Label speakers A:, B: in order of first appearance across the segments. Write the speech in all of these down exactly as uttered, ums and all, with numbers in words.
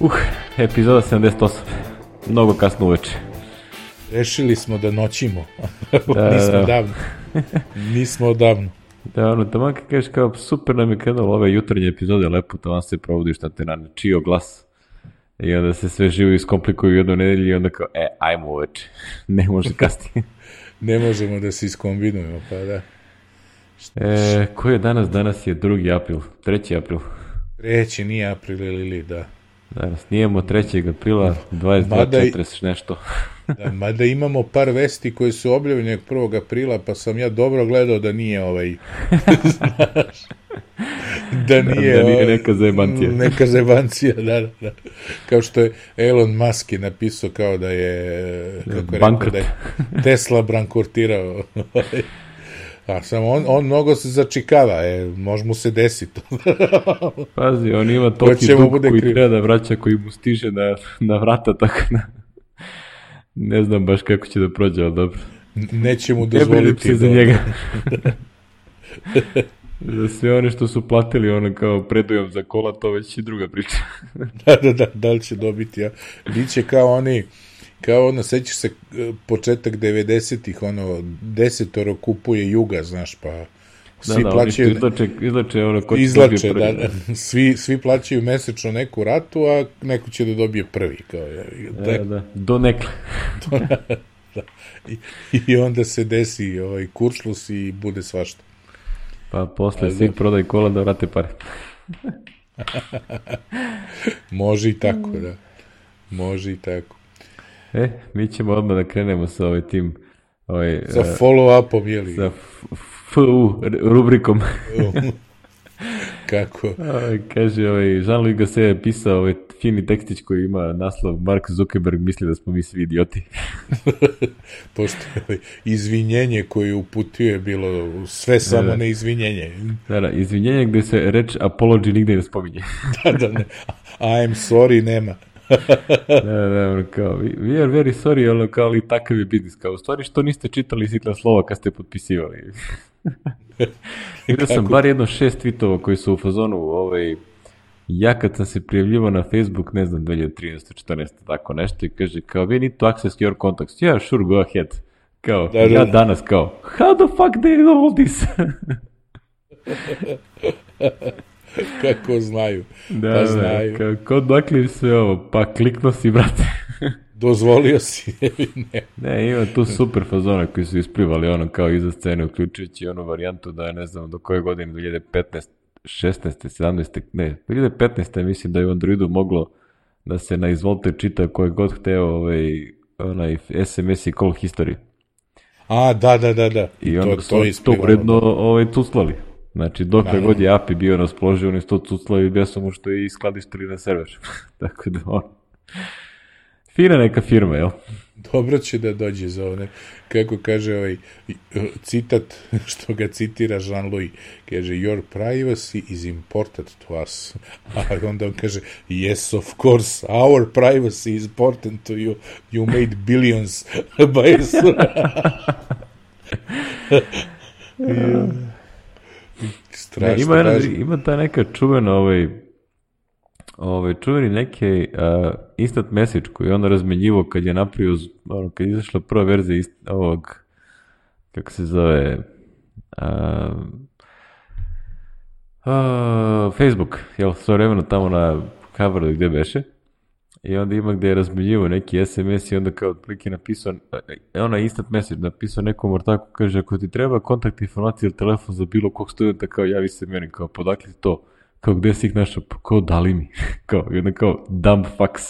A: Uh, epizoda sedamdeset osam. Mnogo kasno uveče.
B: Rešili smo da noćimo. Da, nismo da. davno. Nismo odavno.
A: Da, ono, tamo kad kažeš kao super nam je krenulo ove jutarnje epizode, lepo tamo se provodiš na te na čio glas. I onda se sve živo iskomplikuju u jednu nedelju i onda kao, e, ajmo uveče. Ne može kasnije.
B: Ne možemo da se iskombinujemo, pa da.
A: E, koji je danas? Danas je drugi april, treći april.
B: Treći, nije april ili da.
A: Danas snijemo trećeg aprila, dvadeset dva četrdeset nešto.
B: Da, mada imamo par vesti koje su objavljene prvog aprila, pa sam ja dobro gledao da nije ovaj... Znaš, da nije,
A: da, da nije neka zajebancija.
B: Neka zajebancija, da, da, da. Kao što je Elon Musk je napisao kao da je... Kako je rekao, da je Tesla bankrottirao. A samo on, on mnogo se začikava, e, može mu se desiti.
A: Pazi, on ima toki dug koji kriv. Treba da vraća, koji mu stiže na, na vrata, tako da ne znam baš kako će da prođe, ali dobro.
B: Neće mu dozvoliti.
A: Ne za njega. Za sve one što su platili ono kao predujam za kola, to već i druga priča.
B: da, da, da, da li će dobiti, ja. Biće kao oni... Kao ono, sećaš se početak devedesetih, ono, desetoro kupuje Juga, znaš, pa svi
A: da, da,
B: plaćaju...
A: Izlače, izlače, ono, ko će
B: izlače, da, da, svi, svi plaćaju mesečno neku ratu, a neko će da dobije prvi, kao je.
A: Da, da, do nekle.
B: da. I, I onda se desi ovaj, kuršlus i bude svašta.
A: Pa posle svi prodaj kola da vrate pare.
B: Može i tako, da. Može i tako.
A: E, mi ćemo odmah da krenemo sa ovaj tim... Ovaj,
B: sa follow-upom, jeli?
A: Sa F U rubrikom.
B: Kako?
A: Ovaj, kaže, ovaj, Jean-Louis Gasset je pisao ovaj fini tekstić koji ima naslov Mark Zuckerberg misli da smo mi svi idioti.
B: Pošto ovaj, izvinjenje koje uputio je bilo sve samo da, da. ne izvinjenje.
A: Da, da, izvinjenje gde se reč apology nigde ne spominje.
B: da, da, ne. I'm sorry nema.
A: da, da, ono kao, we are very sorry, ono kao, ali takav je biznis, kao, u stvari što niste čitali sitna slova kad ste potpisivali. Vidio sam bar jedno šest tweetova koji su u fazonu, ovaj, ja kad sam se prijavljivao na Facebook, ne znam, dve hiljade trinaeste četrnaeste tako nešto, i kaže, kao, we need to access your contacts. Yeah, sure, go ahead. Kao, da, ja danas, kao, how the fuck they know all this?
B: Kako znaju.
A: Da,
B: pa znaju.
A: Da, kako dakle sve ovo, pa klikno si, brate.
B: Dozvolio si, ne.
A: Ne, ima tu super fazona koji su isplivali ono kao iza scene, uključujući onu varijantu da je, ne znam, do koje godine, dve hiljade petnaeste, šesnaeste, sedamnaeste, ne, dve hiljade petnaeste mislim da je u Androidu moglo da se na izvolte čita koje god hteo ovaj, onaj es em es i call history.
B: A, da, da, da, da.
A: I onda to, su to, to uredno ovaj, tuslali. Znači, dokle god je A P I bio raspoloživ, oni su to cuclali i besom mu što je i skladištili na server. Tako da, on... Fina neka firma, jel?
B: Dobro će da dođe za ovne. Kako kaže ovaj citat, što ga citira Jean-Louis, kaže, your privacy is important to us. A onda on kaže, yes, of course, our privacy is important to you. You made billions by us.
A: yeah. Ne, ima, jedna, ima ta neka čuvena ovaj, ovaj, čuveni neki uh, instant message koji je on razmenjivo kad je napravio, ono, kad je izašla prva verzija ist, ovog, kako se zove, uh, uh, Facebook, jel, sve vremeno tamo na coveru gde beše, i onda ima gde je razmenjivo neki es em es i onda kao otprilike napisao, ona instant message napisao nekom ortaku, kaže, ako ti treba kontakt informacije ili telefon za bilo kog studenta, kao javi se meni, kao podakle to, kao gde si ih našao, kao dali mi, kao, i onda kao dumb fucks.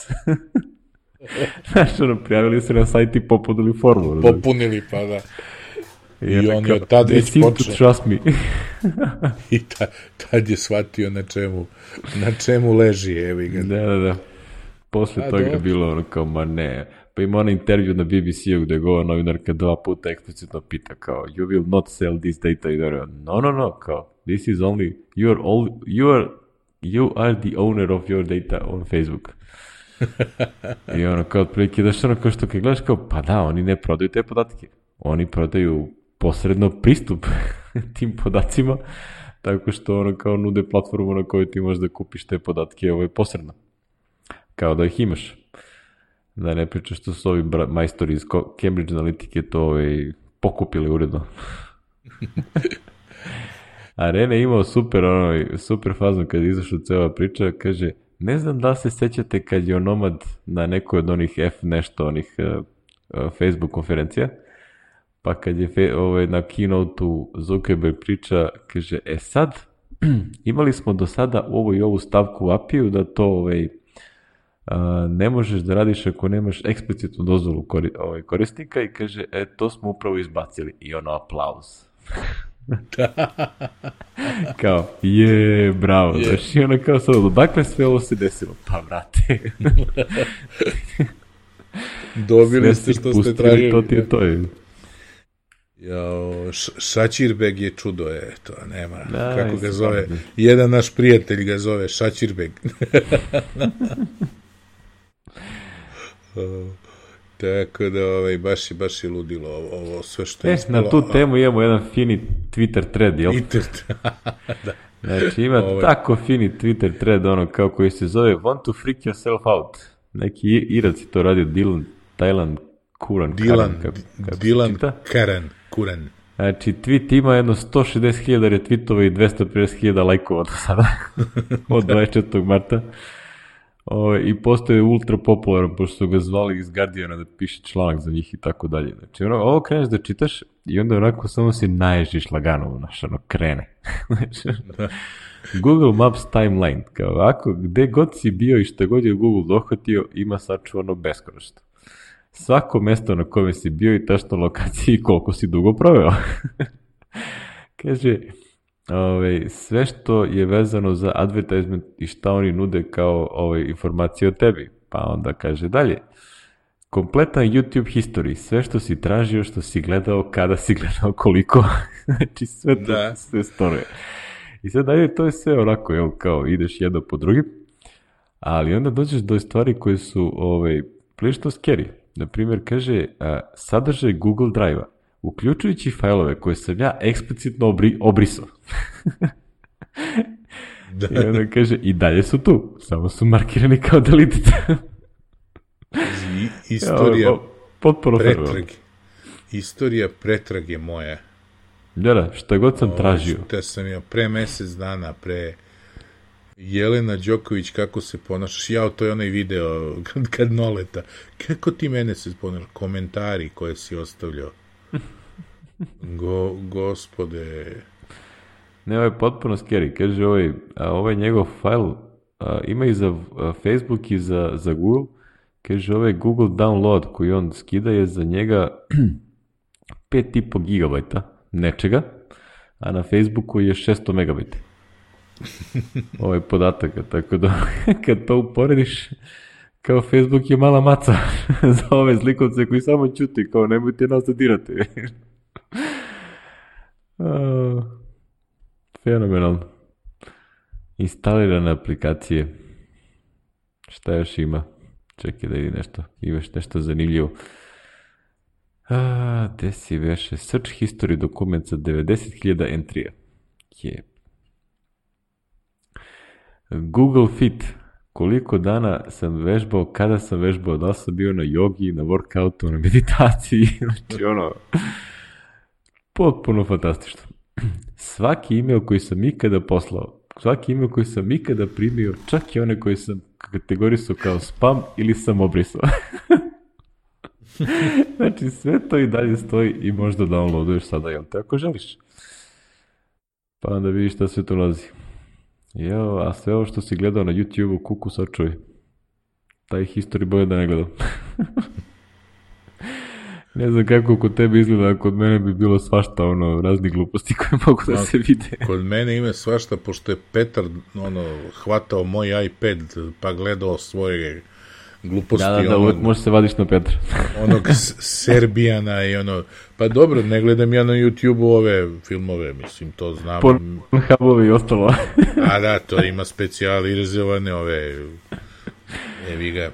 A: Znaš, ono, prijavili se na sajt i popunili formu.
B: Popunili, pa da. I, I on je od tad već počeo.
A: Trust me.
B: I ta, tad je shvatio na čemu, na čemu leži, evi ga.
A: Da, da, da. Posle A, toga je bilo ono kao, ma ne. Pa ima ona intervju na B B C-u gde go novinarka dva puta eksplicitno pita kao, you will not sell this data. I da je, no, no, no, kao, this is only, you are, all, you are, you are the owner of your data on Facebook. I ono kao, otprilike, da što ono kao što kad gledaš kao, pa da, oni ne prodaju te podatke. Oni prodaju posredno pristup tim podacima, tako što ono kao nude platformu na kojoj ti možeš da kupiš te podatke ovaj, posredno. kao da ih imaš. Da ne pričaš što su ovi bra- majstori iz Cambridge Analytike to ovaj, pokupili uredno. A Rene je imao super, ono, super fazon kad je izašla cijela priča, kaže, ne znam da li se sećate kad je Onomad na nekoj od onih F nešto, onih uh, uh, Facebook konferencija, pa kad je fe, ovaj, na keynote-u Zuckerberg priča, kaže, e sad, imali smo do sada ovu i ovu stavku u A P I-u da to ovaj, uh, ne možeš da radiš ako nemaš eksplicitnu dozvolu kori, ovaj, korisnika i kaže, e, to smo upravo izbacili. I ono, aplauz. Kao, je, bravo. Yeah. Znači, ono kao sad, odakle sve ovo se desilo? Pa, vrate.
B: Dobili ste što ste tražili.
A: To ti je to. Je.
B: Jao, Šačirbeg je čudo, je, to nema,
A: da,
B: kako ga zove, stavno. Jedan naš prijatelj ga zove Šačirbeg. Tako da, ovaj, baš, baš je ludilo ovo, ovo sve što je
A: e,
B: ispalo.
A: Na tu temu imamo jedan fini Twitter thread, jel?
B: Twitter, da.
A: Znači, ima ovaj. Tako fini Twitter thread, ono, kao koji se zove Want to freak yourself out. Neki Irac to radio, Dylan, Thailand, Kuran,
B: Dylan,
A: Karan, kako, kako
B: Dylan Karan, Kuran.
A: Znači, tweet ima jedno sto šezdeset hiljada retweetova i dvesta pedeset hiljada lajkova do sada, od dvadeset četvrtog marta. O, I postoje ultra popularan, pošto su ga zvali iz Guardiana da piše članak za njih i tako dalje. Znači, ono, ovo kreneš da čitaš i onda onako samo si naježiš lagano, znaš, ono, krene. Znači, Google Maps timeline, kao ovako, gde god si bio i šta god je Google dohvatio, ima sačuvano beskonačno. Svako mesto na kome si bio i tačno lokaciji i koliko si dugo proveo. Kaže, ove, sve što je vezano za advertisement i šta oni nude kao ove, informacije o tebi. Pa onda kaže dalje, kompletan YouTube history, sve što si tražio, što si gledao, kada si gledao, koliko. Znači sve to, da. Sve storuje. I sad dalje, to je sve onako, jel, kao ideš jedno po drugim, ali onda dođeš do stvari koje su ove, prilično scary. Naprimjer, kaže, a, sadržaj Google Drive-a, uključujući fajlove koje sam ja eksplicitno obri, obrisao. Da. I onda kaže, i dalje su tu, samo su markirani kao deleted.
B: Istorija
A: ja, potpuno
B: pretrage. Istorija pretrage moja.
A: Da, da, šta god sam o, tražio.
B: Te sam ja pre mesec dana, pre Jelena Đoković, kako se ponašaš, ja, to je onaj video kad, kad Noleta, kako ti mene se ponašaš, komentari koje si ostavljao. Go, gospode.
A: Ne, ovo je potpuno scary, kaže ovaj, a, ovaj njegov fajl a, ima i za a, Facebook i za, za Google, kaže ovaj Google download koji on skida je za njega pet i po gigabajta nečega, a na Facebooku je šesto megabajta. Ovaj podataka, tako da kad to uporediš, kao Facebook je mala maca za ove zlikovce koji samo ćuti, kao nemojte nas da dirate. uh, fenomenalno. Instalirane aplikacije. Šta još ima? Čekaj da vidi nešto. Imaš nešto zanimljivo. A, gde si veše? Search history dokument sa devedeset hiljada entrija. Je. Google Fit. Koliko dana sam vežbao, kada sam vežbao, da li sam bio na jogi, na workoutu, na meditaciji, znači ono, potpuno fantastično. Svaki email koji sam ikada poslao, svaki email koji sam ikada primio, čak i one koji sam kategorisao kao spam ili sam obrisao. Znači sve to i dalje stoji i možda downloaduješ sada, jel te, ako želiš. Pa onda vidiš šta sve to nalazi. Jo, a sve ovo što si gledao na YouTube-u, kuku sačuj. Taj history boje da ne gledam. Ne znam kako kod tebe izgleda, a kod mene bi bilo svašta, ono, razni gluposti koje mogu da se vide.
B: Kod mene ima svašta, pošto je Petar, ono, hvatao moj iPad, pa gledao svoje gluposti.
A: Da, da, da, uvek možeš se vadiš na Petra.
B: Onog Serbijana i ono, pa dobro, ne gledam ja na YouTube-u ove filmove, mislim, to znam.
A: Pornhubovi i ostalo.
B: A da, to ima specijalizovane ove, evi ga.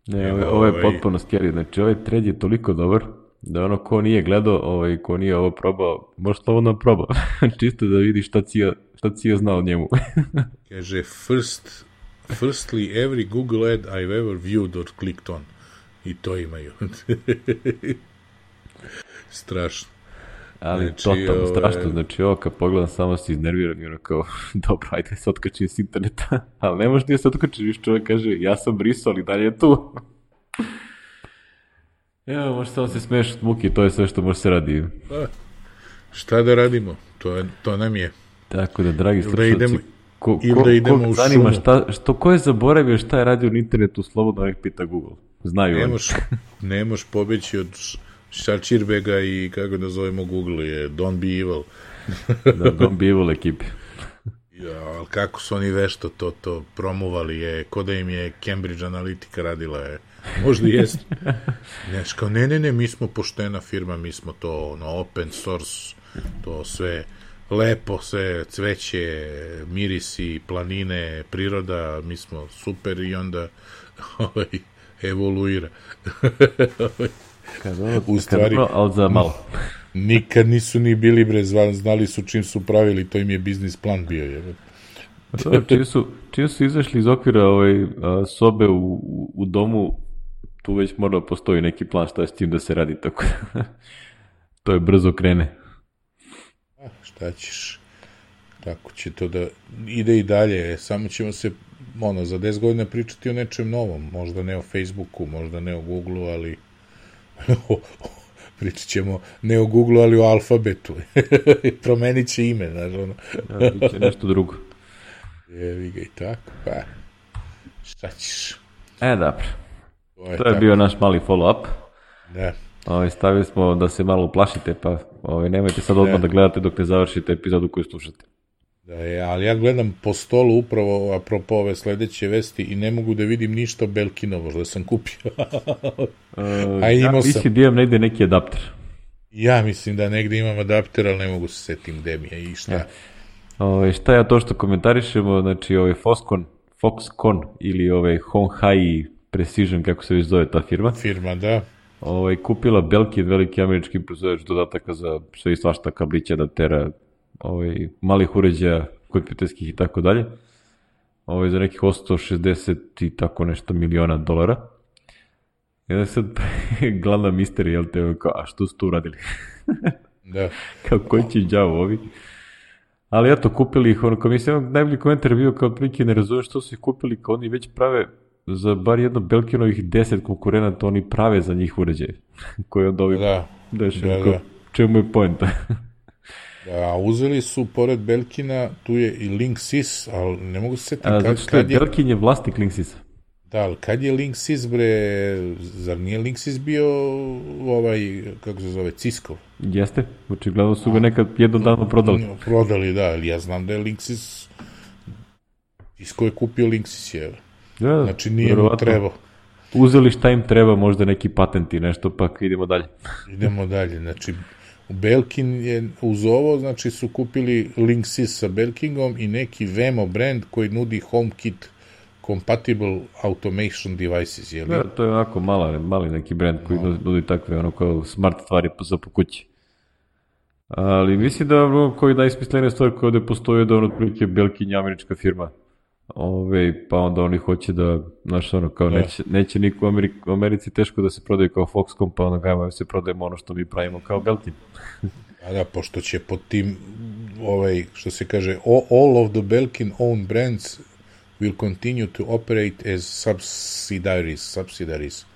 A: Ne, ovo, ovo je potpuno scary, znači ovaj thread je toliko dobar, da ono ko nije gledao, ovaj, ko nije ovo probao, može slobodno proba, čisto da vidi šta Cija, šta Cija zna o njemu.
B: Kaže, first Firstly, every Google ad I've ever viewed or clicked on. I to imaju. Strašno.
A: Ali
B: znači,
A: totalno
B: ove...
A: strašno, znači ovo kad pogledam samo se iznerviram i ono kao, dobro, ajde se otkačim s interneta, ali ne možeš nije se otkačiti, viš čovjek kaže, ja sam brisao, ali dalje je tu. Evo, možeš samo se smiješ od muke, to je sve što može se radi.
B: Pa, šta da radimo, to, je, to nam je.
A: Tako da, dragi
B: da
A: slušalci,
B: idemo,
A: ko,
B: ili
A: ko,
B: da idemo
A: ko
B: u
A: zanima
B: šumu.
A: šta, što, ko je zaboravio šta je radio na internetu, slobodno nek pita Google. Znaju oni.
B: Ne moš pobeći od Šarčirbega i kako da zovemo Google je Don't be evil.
A: Da, Don't be evil ekipi.
B: Ja, ali kako su oni vešto to, to promovali je, ko da im je Cambridge Analytica radila je. Možda jest. Znaš, kao, ne, ne, ne, mi smo poštena firma, mi smo to, ono, open source, to sve lepo, sve cveće, mirisi, planine, priroda, mi smo super i onda ovaj, evoluira.
A: Kad ono,
B: u stvari,
A: kad, ali za malo.
B: Nikad nisu ni bili bre, znali su čim su pravili, to im je biznis plan bio. Je.
A: To, čim, su, čim su izašli iz okvira ovaj, a, sobe u, u, u domu, tu već mora postoji neki plan šta je s tim da se radi, tako da to je brzo krene.
B: A, šta ćeš? Tako će to da ide i dalje, samo ćemo se ono, za deset godina pričati o nečem novom, možda ne o Facebooku, možda ne o Googleu, ali pričat ćemo ne o Googleu, ali o alfabetu. Promenit će ime, znaš, ono.
A: Ja, bit će nešto drugo.
B: Jevi ga i tako, pa šta ćeš?
A: E, dobro.
B: To je,
A: to je bio naš mali follow-up.
B: Da.
A: Ove, stavili smo da se malo uplašite, pa ove, nemojte sad odmah da. da gledate dok ne završite epizodu koju slušate. Da,
B: je, ali ja gledam po stolu upravo apropo ove sledeće vesti i ne mogu da vidim ništa Belkinovo, što sam kupio.
A: A ja mislim da imam negde neki adapter.
B: Ja mislim da negde imam adapter, ali ne mogu se setim gde mi je i šta. Ja.
A: Ove, šta je to što komentarišemo, znači ovaj Foxconn, Foxconn ili ovaj Honhai Precision, kako se već zove ta firma.
B: Firma, da.
A: Ovaj, kupila Belkin, veliki američki proizvođač dodataka za sve i svašta, kablića, adaptera, ovaj, malih uređaja, kompjuterskih i tako dalje. Ovaj, za nekih osto šezdeset i tako nešto miliona dolara. I onda sad glavna misterija, jel te, kao, a što su tu uradili?
B: Da.
A: Kao, koji će đavo ovi? Ali eto, kupili ih, ono, kao mislim, najbolji komentar je bio kao otprilike ne razumem što su ih kupili, kao oni već prave za bar jedno Belkinovih deset konkurenata, oni prave za njih uređaje. Koji onda ovi
B: da,
A: deši,
B: da,
A: kao,
B: da.
A: čemu je poenta?
B: Da, uzeli su, pored Belkina, tu je i Linksys, ali ne mogu se setiti kad,
A: znači,
B: kad
A: je... Belkin je vlasnik Linksisa.
B: Da, ali kad je Linksys, bre, zar nije Linksys bio ovaj, kako se zove, Cisco?
A: Jeste, očigledno su ga nekad jednom dano prodali.
B: Prodali, da, ali ja znam da je Linksys, Cisco je kupio Linksys, je.
A: Da,
B: znači nije mu trebao.
A: Uzeli šta im treba, možda neki patenti, nešto, pa idemo dalje.
B: Idemo dalje, znači Belkin je uz ovo, znači su kupili Linksys sa Belkingom i neki Vemo brand koji nudi HomeKit compatible automation devices, je li?
A: Da, to je onako mala, mali neki brand koji no. nudi takve ono kao smart stvari za po kući. Ali mislim da koji najsmislenija stvar koja ovde postoji da ono otprilike Belkin je američka firma. Ove, pa onda oni hoće da, znaš ono, kao da. neće, neće niko u Americi, u Americi teško da se prodaje kao Foxconn, pa onda gajmo se prodajemo ono što mi pravimo kao Belkin.
B: A da, pošto će pod tim, ovaj, što se kaže, all of the Belkin owned brands will continue to operate as subsidiaries, subsidiaries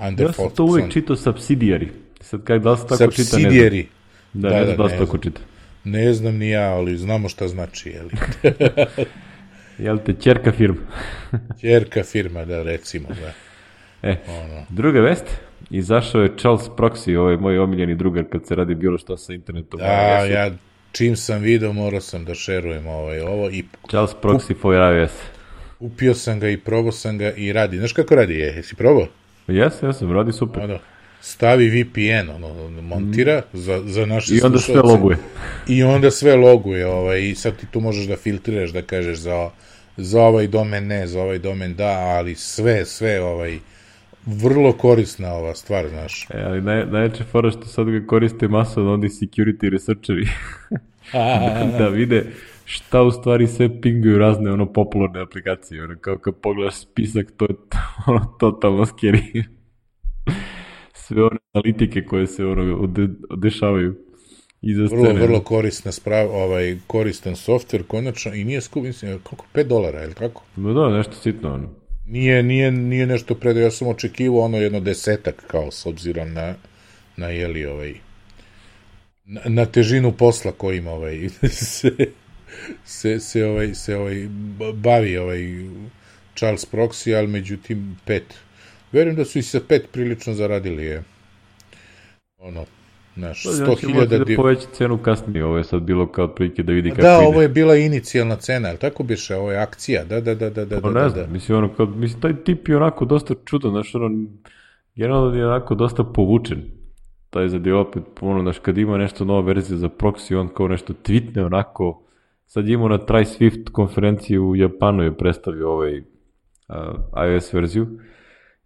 B: under
A: ja sam to uvek čitao subsidiary. Sad kaj da li se tako čita, ne znam. Da,
B: da,
A: ne
B: da,
A: znam da se tako čita.
B: Ne znam ni ja, ali znamo šta znači, jeli?
A: Jel te, ćerka firma?
B: Ćerka firma, da, recimo, da.
A: E, ono. Druga vest, izašao je Charles Proxy, ovaj moj omiljeni drugar kad se radi bilo šta sa internetom.
B: Da, ja čim sam video morao sam da šerujem ovaj, ovo. I
A: Charles Proxy for iOS.
B: Upio sam ga i probao sam ga i radi. Znaš kako radi je? Jesi probao?
A: Jes, ja sam, radi super.
B: Ono, stavi V P N, ono, montira mm. za, za naše slušalce.
A: I onda sve loguje.
B: I onda sve loguje, ovaj, i sad ti tu možeš da filtriraš, da kažeš za, za ovaj domen ne, za ovaj domen da, ali sve, sve, ovaj, vrlo korisna ova stvar, znaš.
A: E, ali naj, najveće fora što sad ga koriste masovno oni security researcheri da, da vide šta u stvari sve pinguju razne ono popularne aplikacije, ono kao kad pogledaš spisak, to je ono totalno scary. Sve one analitike koje se ono dešavaju iza scene.
B: Vrlo, vrlo korisna sprav, ovaj, koristan softver, konačno, i nije skup, mislim, koliko, pet dolara, ili kako?
A: No da, nešto sitno, ono.
B: Nije, nije, nije nešto predo, ja sam očekivao ono jedno desetak, kao, s obzirom na, na jeli, ovaj, na, na težinu posla kojim, ovaj, se, se, se, ovaj, se, ovaj, bavi, ovaj, Charles Proxy, ali međutim, pet. Verujem da su i sa pet prilično zaradili, je, ono, naš, sto hiljada...
A: Da poveći cenu kasnije, ovo je sad bilo kao otprilike da vidi kako
B: da,
A: ide.
B: Da, ovo je bila inicijalna cena, ali tako biše, ovo je akcija, da, da, da, da, da.
A: Pa ne znam, da. Mislim, ono, kao, mislim, taj tip je onako dosta čudan, znaš, ono, generalno je onako dosta povučen, taj za dio opet, ono, znaš, kad ima nešto nova verzija za proxy, on kao nešto tweetne, onako, sad imao na Try Swift konferenciji u Japanu je predstavio ovaj uh, iOS verziju,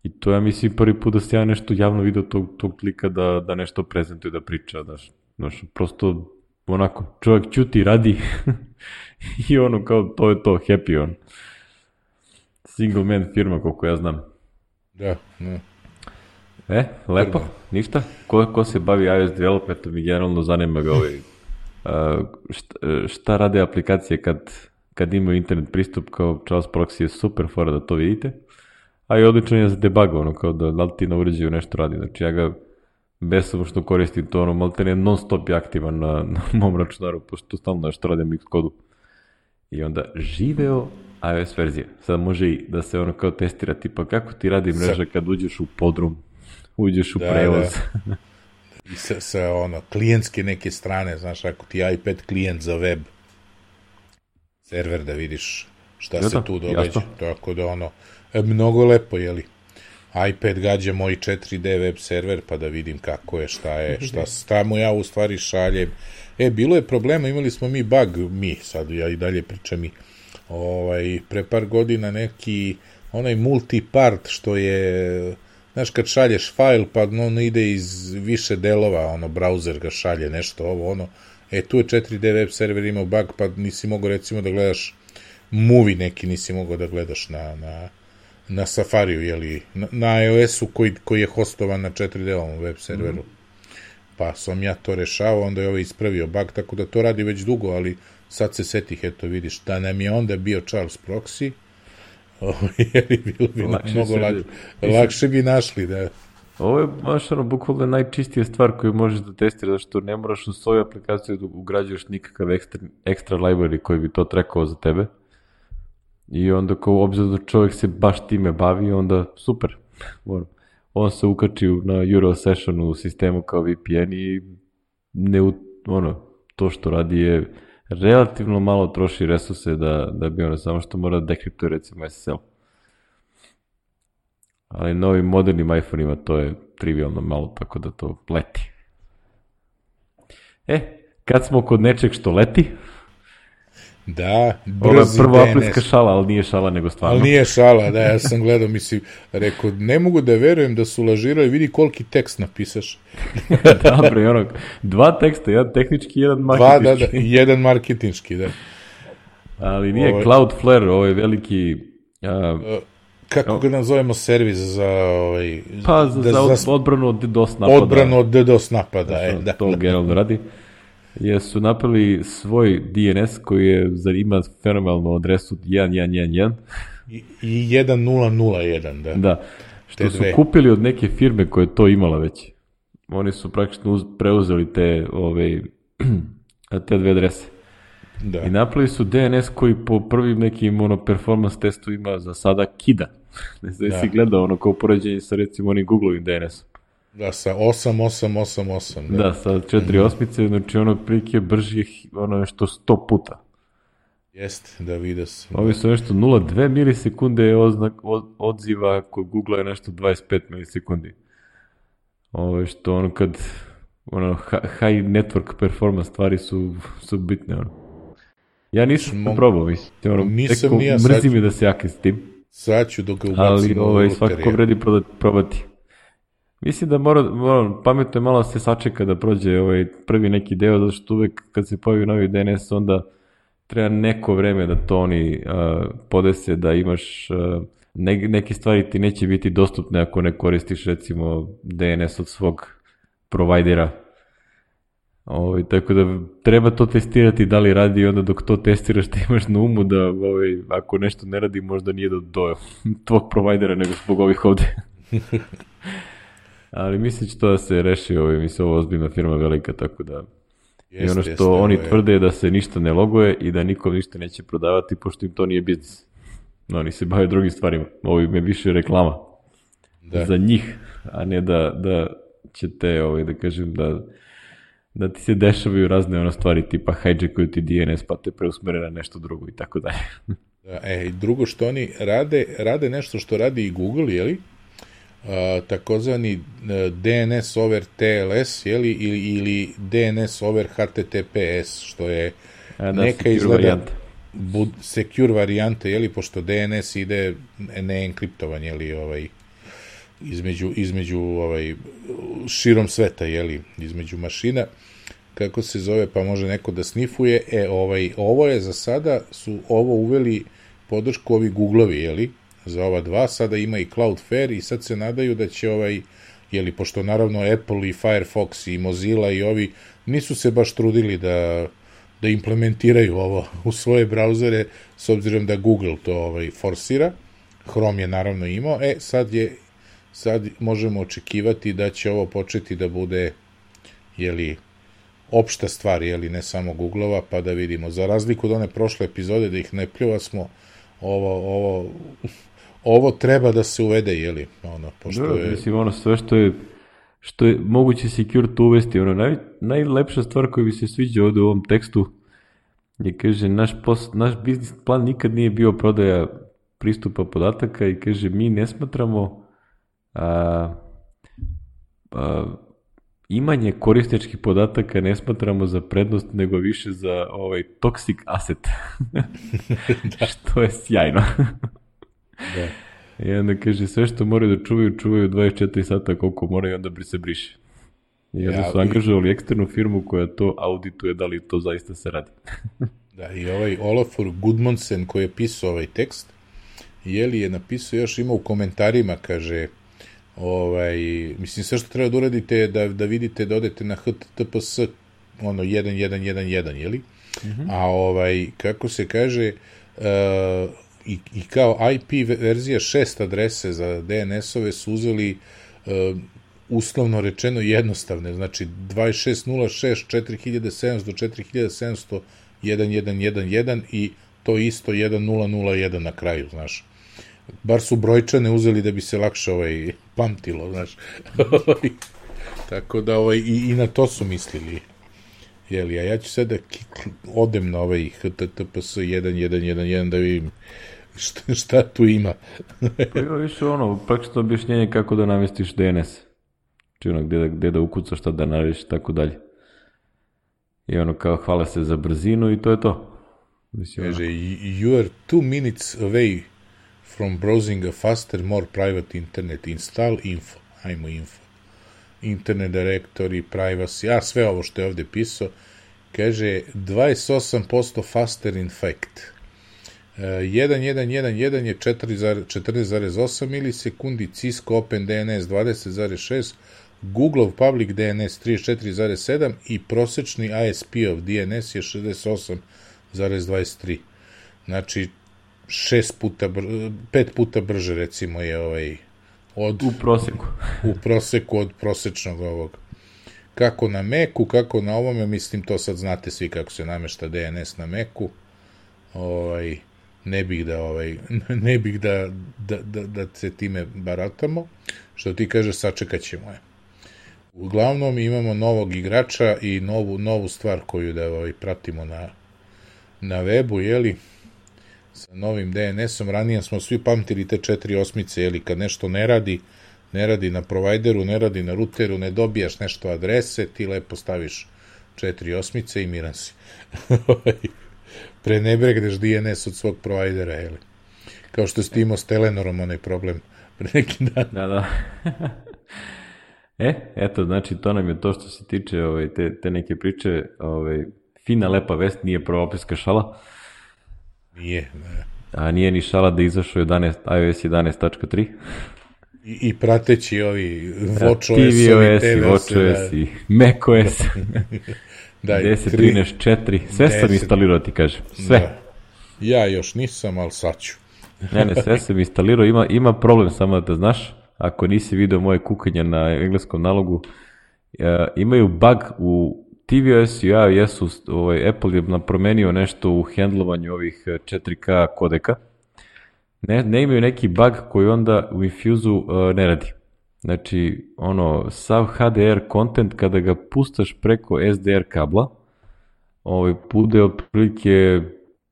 A: i to ja mislim prvi put da se ja nešto javno video tog, tog klika da, da nešto prezentuje, da priča, znaš, znaš, prosto onako, čovjek ćuti, radi i ono kao, to je to, happy on. Single man firma, koliko ja znam.
B: Da, ne.
A: E, lepo, ništa. Ko, ko se bavi iOS developmentom i generalno zanima ga ovaj, uh, šta, šta rade aplikacije kad, kad imaju internet pristup, kao Charles Proxy je super fora da to vidite. A i odlično je za debug, ono, kao da, da li ti na uređaju nešto radi. Znači, ja ga besomučno koristim, to ono, malte ne non stop je aktivan na, na mom računaru, pošto stalno nešto radim u Xcodu. I onda živeo iOS verzija. Sad može i da se ono kao testira, tipa kako ti radi mreža kad uđeš u podrum, uđeš u da, prevoz.
B: Da. I sa, sa ono, klijentske neke strane, znaš, ako ti iPad klijent za web server da vidiš šta da, se tu događa. Tako da ono, mnogo lepo, jeli? iPad gađa moj četiri D web server, pa da vidim kako je, šta je, šta, šta mu ja u stvari šaljem. E, bilo je problema, imali smo mi bug, mi, sad ja i dalje pričam mi, ovaj, pre par godina neki, onaj multipart što je, znaš, kad šalješ fajl, pa on ide iz više delova, ono, browser ga šalje, nešto, ovo, ono, e, tu je četiri D web server imao bug, pa nisi mogao, recimo, da gledaš movie neki, nisi mogao da gledaš na, na na Safariju, jeli, na, na iOS-u koji, koji je hostovan na četiri D-ovom web serveru. Mm. Pa sam ja to rešavao, onda je ovaj ispravio bug, tako da to radi već dugo, ali sad se setih, eto vidiš, da nam je onda bio Charles Proxy, jeli, bilo bi lakše mnogo lakše, lakše bi našli, da.
A: Ovo je, baš ono, bukvalno najčistija stvar koju možeš da testiraš, zato što ne moraš u svoju aplikaciju da ugrađuješ nikakav ekstra, ekstra library koji bi to trekao za tebe. I onda kao obzirom da čovjek se baš time bavi, onda super. On se ukači na Eurosession u sistemu kao V P N i ne, ono, to što radi je relativno malo troši resurse da, da bi ono, samo što mora da dekriptuje recimo S S L. Ali novim modernim iPhone-ima to je trivialno malo, tako da to leti. E, kad smo kod nečeg što leti...
B: Da,
A: brzi prva aplinska šala, ali nije šala nego stvarno.
B: Ali nije šala, da, ja sam gledao, mislim, rekao, ne mogu da verujem da su lažirali, vidi koliki tekst napisaš.
A: Dobro, i ono, dva teksta, jedan tehnički, jedan marketinški.
B: Dva, da, da, jedan marketinški, da.
A: Ali nije ovo... Cloudflare, ovo je veliki... Uh,
B: kako ga nazovemo, servis za... Ovaj,
A: pa, za, da, za odbranu od DDoS napada.
B: Odbranu od DDoS napada,
A: e,
B: da.
A: To generalno radi. Jesu napravili svoj D N S koji je, ima fenomenalnu adresu jedan jedan jedan jedan.
B: I, i jedan nula nula jedan, da.
A: Da, što su kupili od neke firme koja je to imala već. Oni su praktično uz, preuzeli te, ove, te dve adrese. Da. I napravili su D N S koji po prvim nekim ono, performance testu ima za sada kida. Ne znam da si gledao ono kao poređenje sa recimo onim Google-ovim D N S-om.
B: Da, sa osam osam osam osam.
A: Da, da sa četiri osmice, znači ono prilike brži ono nešto sto puta.
B: Jeste, da vidio sam.
A: Ovi su nešto nula zarez dve milisekunde oznak, od, odziva, kod Google je nešto dvadeset pet milisekundi. Ovo što ono kad ono, high network performance stvari su, su bitne. Ono. Ja nisam Mo... probao, mislim. Ono, nisam teko, ja, mrzi mi da se jakim s tim.
B: Sad ću dok ga ubacim.
A: Ali ovaj, svakako vredi probati. Mislim da mora, mora, pametno je malo se sačeka da prođe ovaj prvi neki deo, zato što uvek kad se pojavi novi D N S, onda treba neko vreme da to oni uh, podese, da imaš uh, ne, neke stvari ti neće biti dostupne ako ne koristiš recimo D N S od svog provajdera. Ovaj, tako da treba to testirati da li radi, onda dok to testiraš ti imaš na umu da ovaj, ako nešto ne radi možda nije do, do tvog provajdera nego zbog ovih ovde. Ali mislim će to da se reši, ovaj, mislim ovo ozbiljna firma velika, tako da jest, i ono što jeste, oni je... tvrde je da se ništa ne loguje i da nikom ništa neće prodavati pošto im to nije biznis. No, oni se bave drugim stvarima. Ovo im je više reklama da. Za njih, a ne da, da će te, ovaj, da kažem, da da ti se dešavaju razne ono stvari tipa hijackuju ti D N S pa te preusmere na nešto drugo i tako dalje.
B: E, drugo što oni rade, rade nešto što radi i Google, jeli? A, takozvani D N S over T L S, jeli? Ili, ili D N S over H T T P S, što je
A: a, da,
B: neka izgleda bud, secure varijante, jeli? Pošto D N S ide neenkriptovan, jeli, ovaj, između, između ovaj, širom sveta, jeli, između mašina, kako se zove, pa može neko da snifuje. E, ovaj, ovo je za sada, su ovo uveli podršku ovi Googlovi, jeli, za ova dva, sada ima i Cloudflare i sad se nadaju da će ovaj, jeli, pošto naravno Apple i Firefox i Mozilla i ovi nisu se baš trudili da, da implementiraju ovo u svoje brauzere, s obzirom da Google to ovaj, forsira, Chrome je naravno imao, e, sad je sad možemo očekivati da će ovo početi da bude, jeli, opšta stvar, jeli, ne samo Googlova, pa da vidimo. Za razliku od one prošle epizode da ih ne pljuva smo, ovo, ovo, ovo treba da se uvede, jeli, ono, pošto
A: da,
B: je...
A: Mislim, ono, sve što je, što je moguće secure to uvesti, ono, naj, najlepša stvar koja bi se sviđa ovde u ovom tekstu je, kaže, naš, pos, naš biznis plan nikad nije bio prodaja pristupa podataka i, kaže, mi ne smatramo A, a, imanje korisničkih podataka ne smatramo za prednost, nego više za ovaj toxic asset. Da. Što je sjajno. Da. I onda kaže, sve što moraju da čuvaju, čuvaju dvadeset četiri sata koliko moraju, onda se briše. I onda ja, su angažovali eksternu firmu koja to audituje da li to zaista se radi.
B: Da, i ovaj Olafur Gudmundsen koji je pisao ovaj tekst, jeli je napisao, još ima u komentarima, kaže, ovaj, mislim, sve što treba da uradite je da, da vidite, da odete na H T T P S ono, jedan jedan jedan jedan, jeli? Mm-hmm. A ovaj, kako se kaže, uh, i, i kao I P verzija šest adrese za D N S-ove su uzeli uh, uslovno rečeno jednostavne, znači dvadeset šest nula šest četiri hiljade sedamsto četiri hiljade sedamsto jedan jedan jedan jedan i to isto jedan nula nula jedan na kraju, znaš. Bar su brojčane uzeli da bi se lakše ovaj, pamtilo, znaš. Tako da ovaj, i, i na to su mislili. Jeli, a ja ću sad da odem na ovaj H T T P S jedan jedan jedan jedan da vidim šta, šta tu ima.
A: Pa ima više ono, praktično objašnjenje kako da namestiš D N S. Či ono, gde da, gde da ukucaš, šta da narediš, tako dalje. I ono, kao hvale se za brzinu i to je to. Mislim,
B: kaže, you are two minutes away from browsing a faster, more private internet. Install info. Ajmo info. Internet directory, privacy, a sve ovo što je ovde pisao, kaže dvadeset osam posto faster in fact. jedan jedan jedan jedan je četrnaest zarez osam milisekundi, Cisco Open D N S dvadeset zarez šest, Googleov Public D N S trideset četiri zarez sedam i prosečni I S P-ov D N S je šezdeset osam zarez dvadeset tri. Znači, šest puta, br- pet puta brže, recimo, je ovaj od,
A: u proseku.
B: u proseku od prosečnog ovog. Kako na Macu, kako na ovome, mislim, to sad znate svi kako se namešta D N S na Macu. Ovaj, ne bih da, ovaj, ne bih da, da, da, da se time baratamo. Što ti kaže, sačekat ćemo je. Uglavnom, imamo novog igrača i novu, novu stvar koju da ovaj, pratimo na, na webu, jeli? Sa novim D N S-om, ranije smo svi pamtili te četiri osmice, jeli, kad nešto ne radi, ne radi na provajderu, ne radi na ruteru, ne dobijaš nešto adrese, ti lepo staviš četiri osmice i miran si. Prenebregneš D N S od svog provajdera, jeli. Kao što ste imao s Telenorom onaj problem pre neki dan.
A: Da, da. E, eto, znači, to nam je to što se tiče ovaj, te, te neke priče ovaj, fina lepa vest, nije prvoaprilska šala.
B: Nije, ne.
A: A nije ni šala da izašao jedanaest, iOS jedanaest tačka tri.
B: I, i prateći ovi watchOS,
A: tvOS, watchOS i macOS.
B: Da,
A: deset, trinaest, četiri, sve sam instalirao, ti kažem, sve.
B: Da. Ja još nisam, ali sad ću.
A: Ne, ne, sve sam instalirao, ima, ima problem samo da znaš, ako nisi video moje kukanje na engleskom nalogu, uh, imaju bug u tvOS i iOS-u, ovaj, Apple je promenio nešto u hendlovanju ovih četiri K kodeka, ne, ne imaju neki bug koji onda u Infuse-u uh, ne radi. Znači, ono, sav H D R content kada ga pustaš preko S D R kabla, ovaj, bude otprilike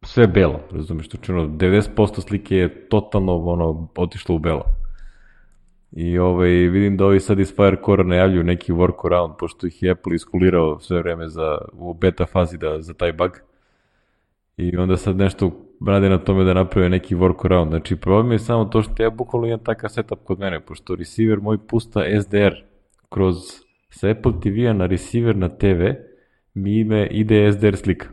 A: sve belo, razumiješ, znači ono, devedeset posto slike je totalno ono, otišlo u belo. I ovaj, vidim da ovi sad iz Firecore najavljuju neki workaround, pošto ih je Apple iskulirao sve vreme za, u beta fazi da, za taj bug. I onda sad nešto rade na tome da naprave neki workaround. Znači, problem je samo to što ja bukvalno imam takav setup kod mene, pošto receiver moj pusta S D R kroz sa Apple T V-a na receiver na T V, mi ime ide S D R slika.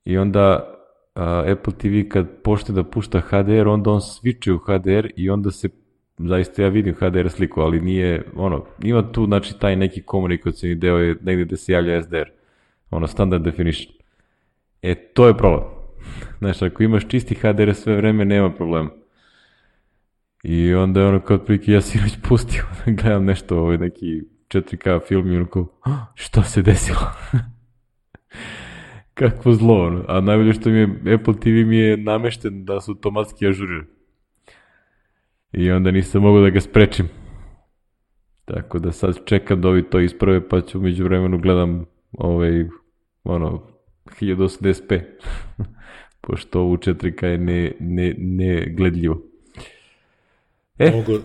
A: I onda uh, Apple T V kad počne da pušta H D R, onda on switche u H D R i onda se, zaista ja vidim H D R sliku, ali nije, ono, ima tu, znači, taj neki komunikacijni deo je negdje gde se javlja S D R, ono, standard definition. E, to je problem. Znači, ako imaš čisti H D R sve vreme, nema problema. I onda je ono, kao otprilike, ja si već pustio, gledam nešto, ovaj, neki četiri K film i ono kao, što se desilo? Kakvo zlo, ono. A najbolje što mi je, Apple T V mi je namešten da se automatski ažurira. I onda nisam mogao da ga sprečim. Tako da sad čekam da ovi to isprave, pa ću među vremenu gledam ovaj, ono, hiljadu osamdeset p. Pošto ovu četiri K je ne, ne, ne gledljivo. E, Mogu...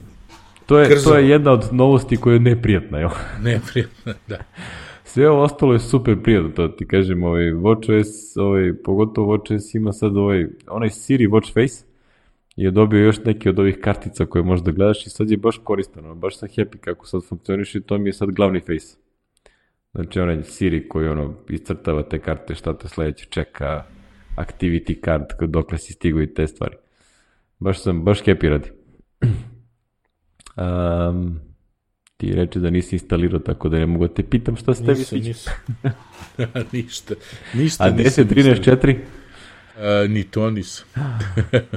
A: to, je, to je jedna od novosti koja je neprijatna, jel?
B: Neprijatna, da.
A: Sve ovo ostalo je super prijatno, to ti kažem, ovaj, watchOS, ovaj, pogotovo watchOS ima sad ovaj, onaj Siri Watch Face, je dobio još neke od ovih kartica koje možeš da gledaš i sad je baš koristan, baš sam happy kako sad funkcioniš i to mi je sad glavni face. Znači onaj Siri koji ono iscrtava te karte, šta te sledeće čeka, activity card, dokle si stigo i te stvari. Baš sam, baš happy radi. Um, ti reče da nisi instalirao, tako da ne mogu da te pitam šta se tebi sviđa.
B: Nisam, nisam. ništa, ništa.
A: A deset, trinaest, četiri?
B: A, ni to nisam.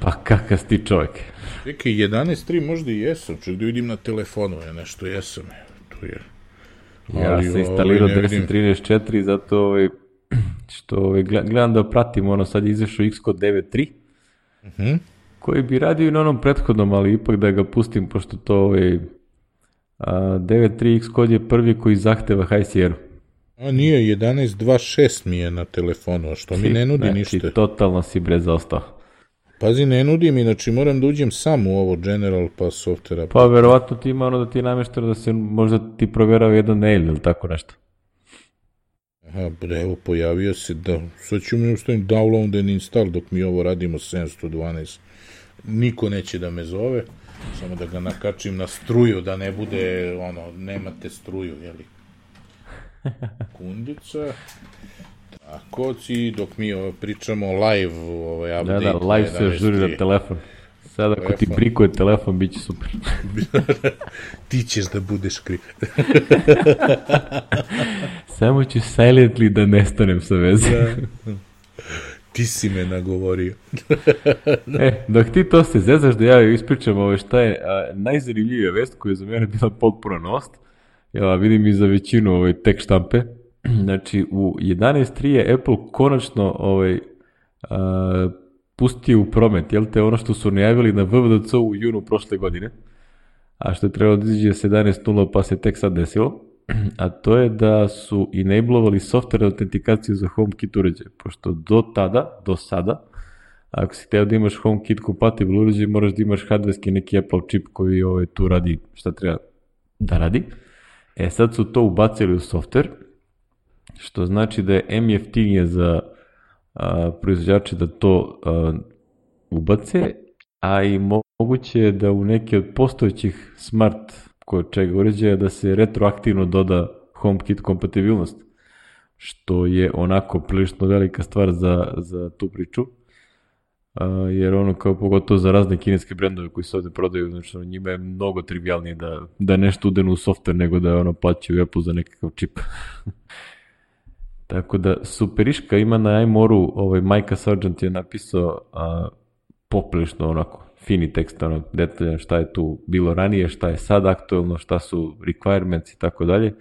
A: Pa kakav si ti čovjek?
B: Čekaj, jedanaest tri možda i jesam, čak da vidim na telefonu, ja nešto jesam. Tu je.
A: Ja sam instalirao deset, trinaest, četiri, zato ovaj, što ovaj, gledam da pratim, ono sad je izašao Xcode devet tri, uh-huh. koji bi radio i na onom prethodnom, ali ipak da ga pustim, pošto to ovaj, a, devet tri Xcode je prvi koji zahteva High Sierra.
B: A nije, jedanaest dvadeset šest mi je na telefonu, a što mi ne nudi
A: znači,
B: ništa.
A: Znači, totalno si bre zaostao.
B: Pazi, ne nudi mi, znači moram da uđem sam u ovo General pa softvera.
A: Pa verovatno ti ima ono da ti je namešteno da se možda ti proverao jedan mail ili tako nešto.
B: Aha, evo, pojavio se da, sad ću mi ustavim download and install dok mi ovo radimo sedamsto dvanaest. Niko neće da me zove, samo da ga nakačim na struju, da ne bude, ono, nemate struju, jeli? Kundica. Tako ci, dok mi ovo, pričamo live, ovaj update.
A: Da, da, live se žuri na telefon. Sad ako telefon. Ti prikuje telefon, bit će super.
B: Ti ćeš da budeš kriv.
A: Samo ću silently da nestanem sa veze.
B: Da. Ti si me nagovorio.
A: E, dok ti to se zezaš da ja ispričam ovo šta je a, najzanimljivija vest koja je za mene bila potpuna novost. Ja vidim i za većinu ovaj, tek štampe. Znači, u jedanaest tri je Apple konačno ovaj, a, pustio u promet, jel te, ono što su najavili na W W D C u junu prošle godine, a što je trebalo da izađe s jedanaest nula pa se tek sad desilo, a to je da su enablovali software autentikaciju za HomeKit uređaje, pošto do tada, do sada, ako si teo da imaš HomeKit compatible uređaj, moraš da imaš hardverski neki Apple čip koji ovaj, tu radi šta treba da radi. E sad su to ubacili u software, što znači da je em jeftinije za a, proizvođače da to a, ubace, a i moguće je da u neke od postojećih smart kod čega uređaja da se retroaktivno doda HomeKit kompatibilnost. što je onako prilično velika stvar za, za tu priču. Uh, jer ono kao pogotovo za razne kineske brendove koji se ovde prodaju, znači ono, njima je mnogo trivialnije da, da nešto udenu u software nego da ono plaćaju Apple za nekakav čip. Tako da superiška ima na iMoru, ovaj Micah Sargent je napisao a, poprilično onako fini tekst, ono detaljan šta je tu bilo ranije, šta je sad aktuelno, šta su requirements i tako dalje,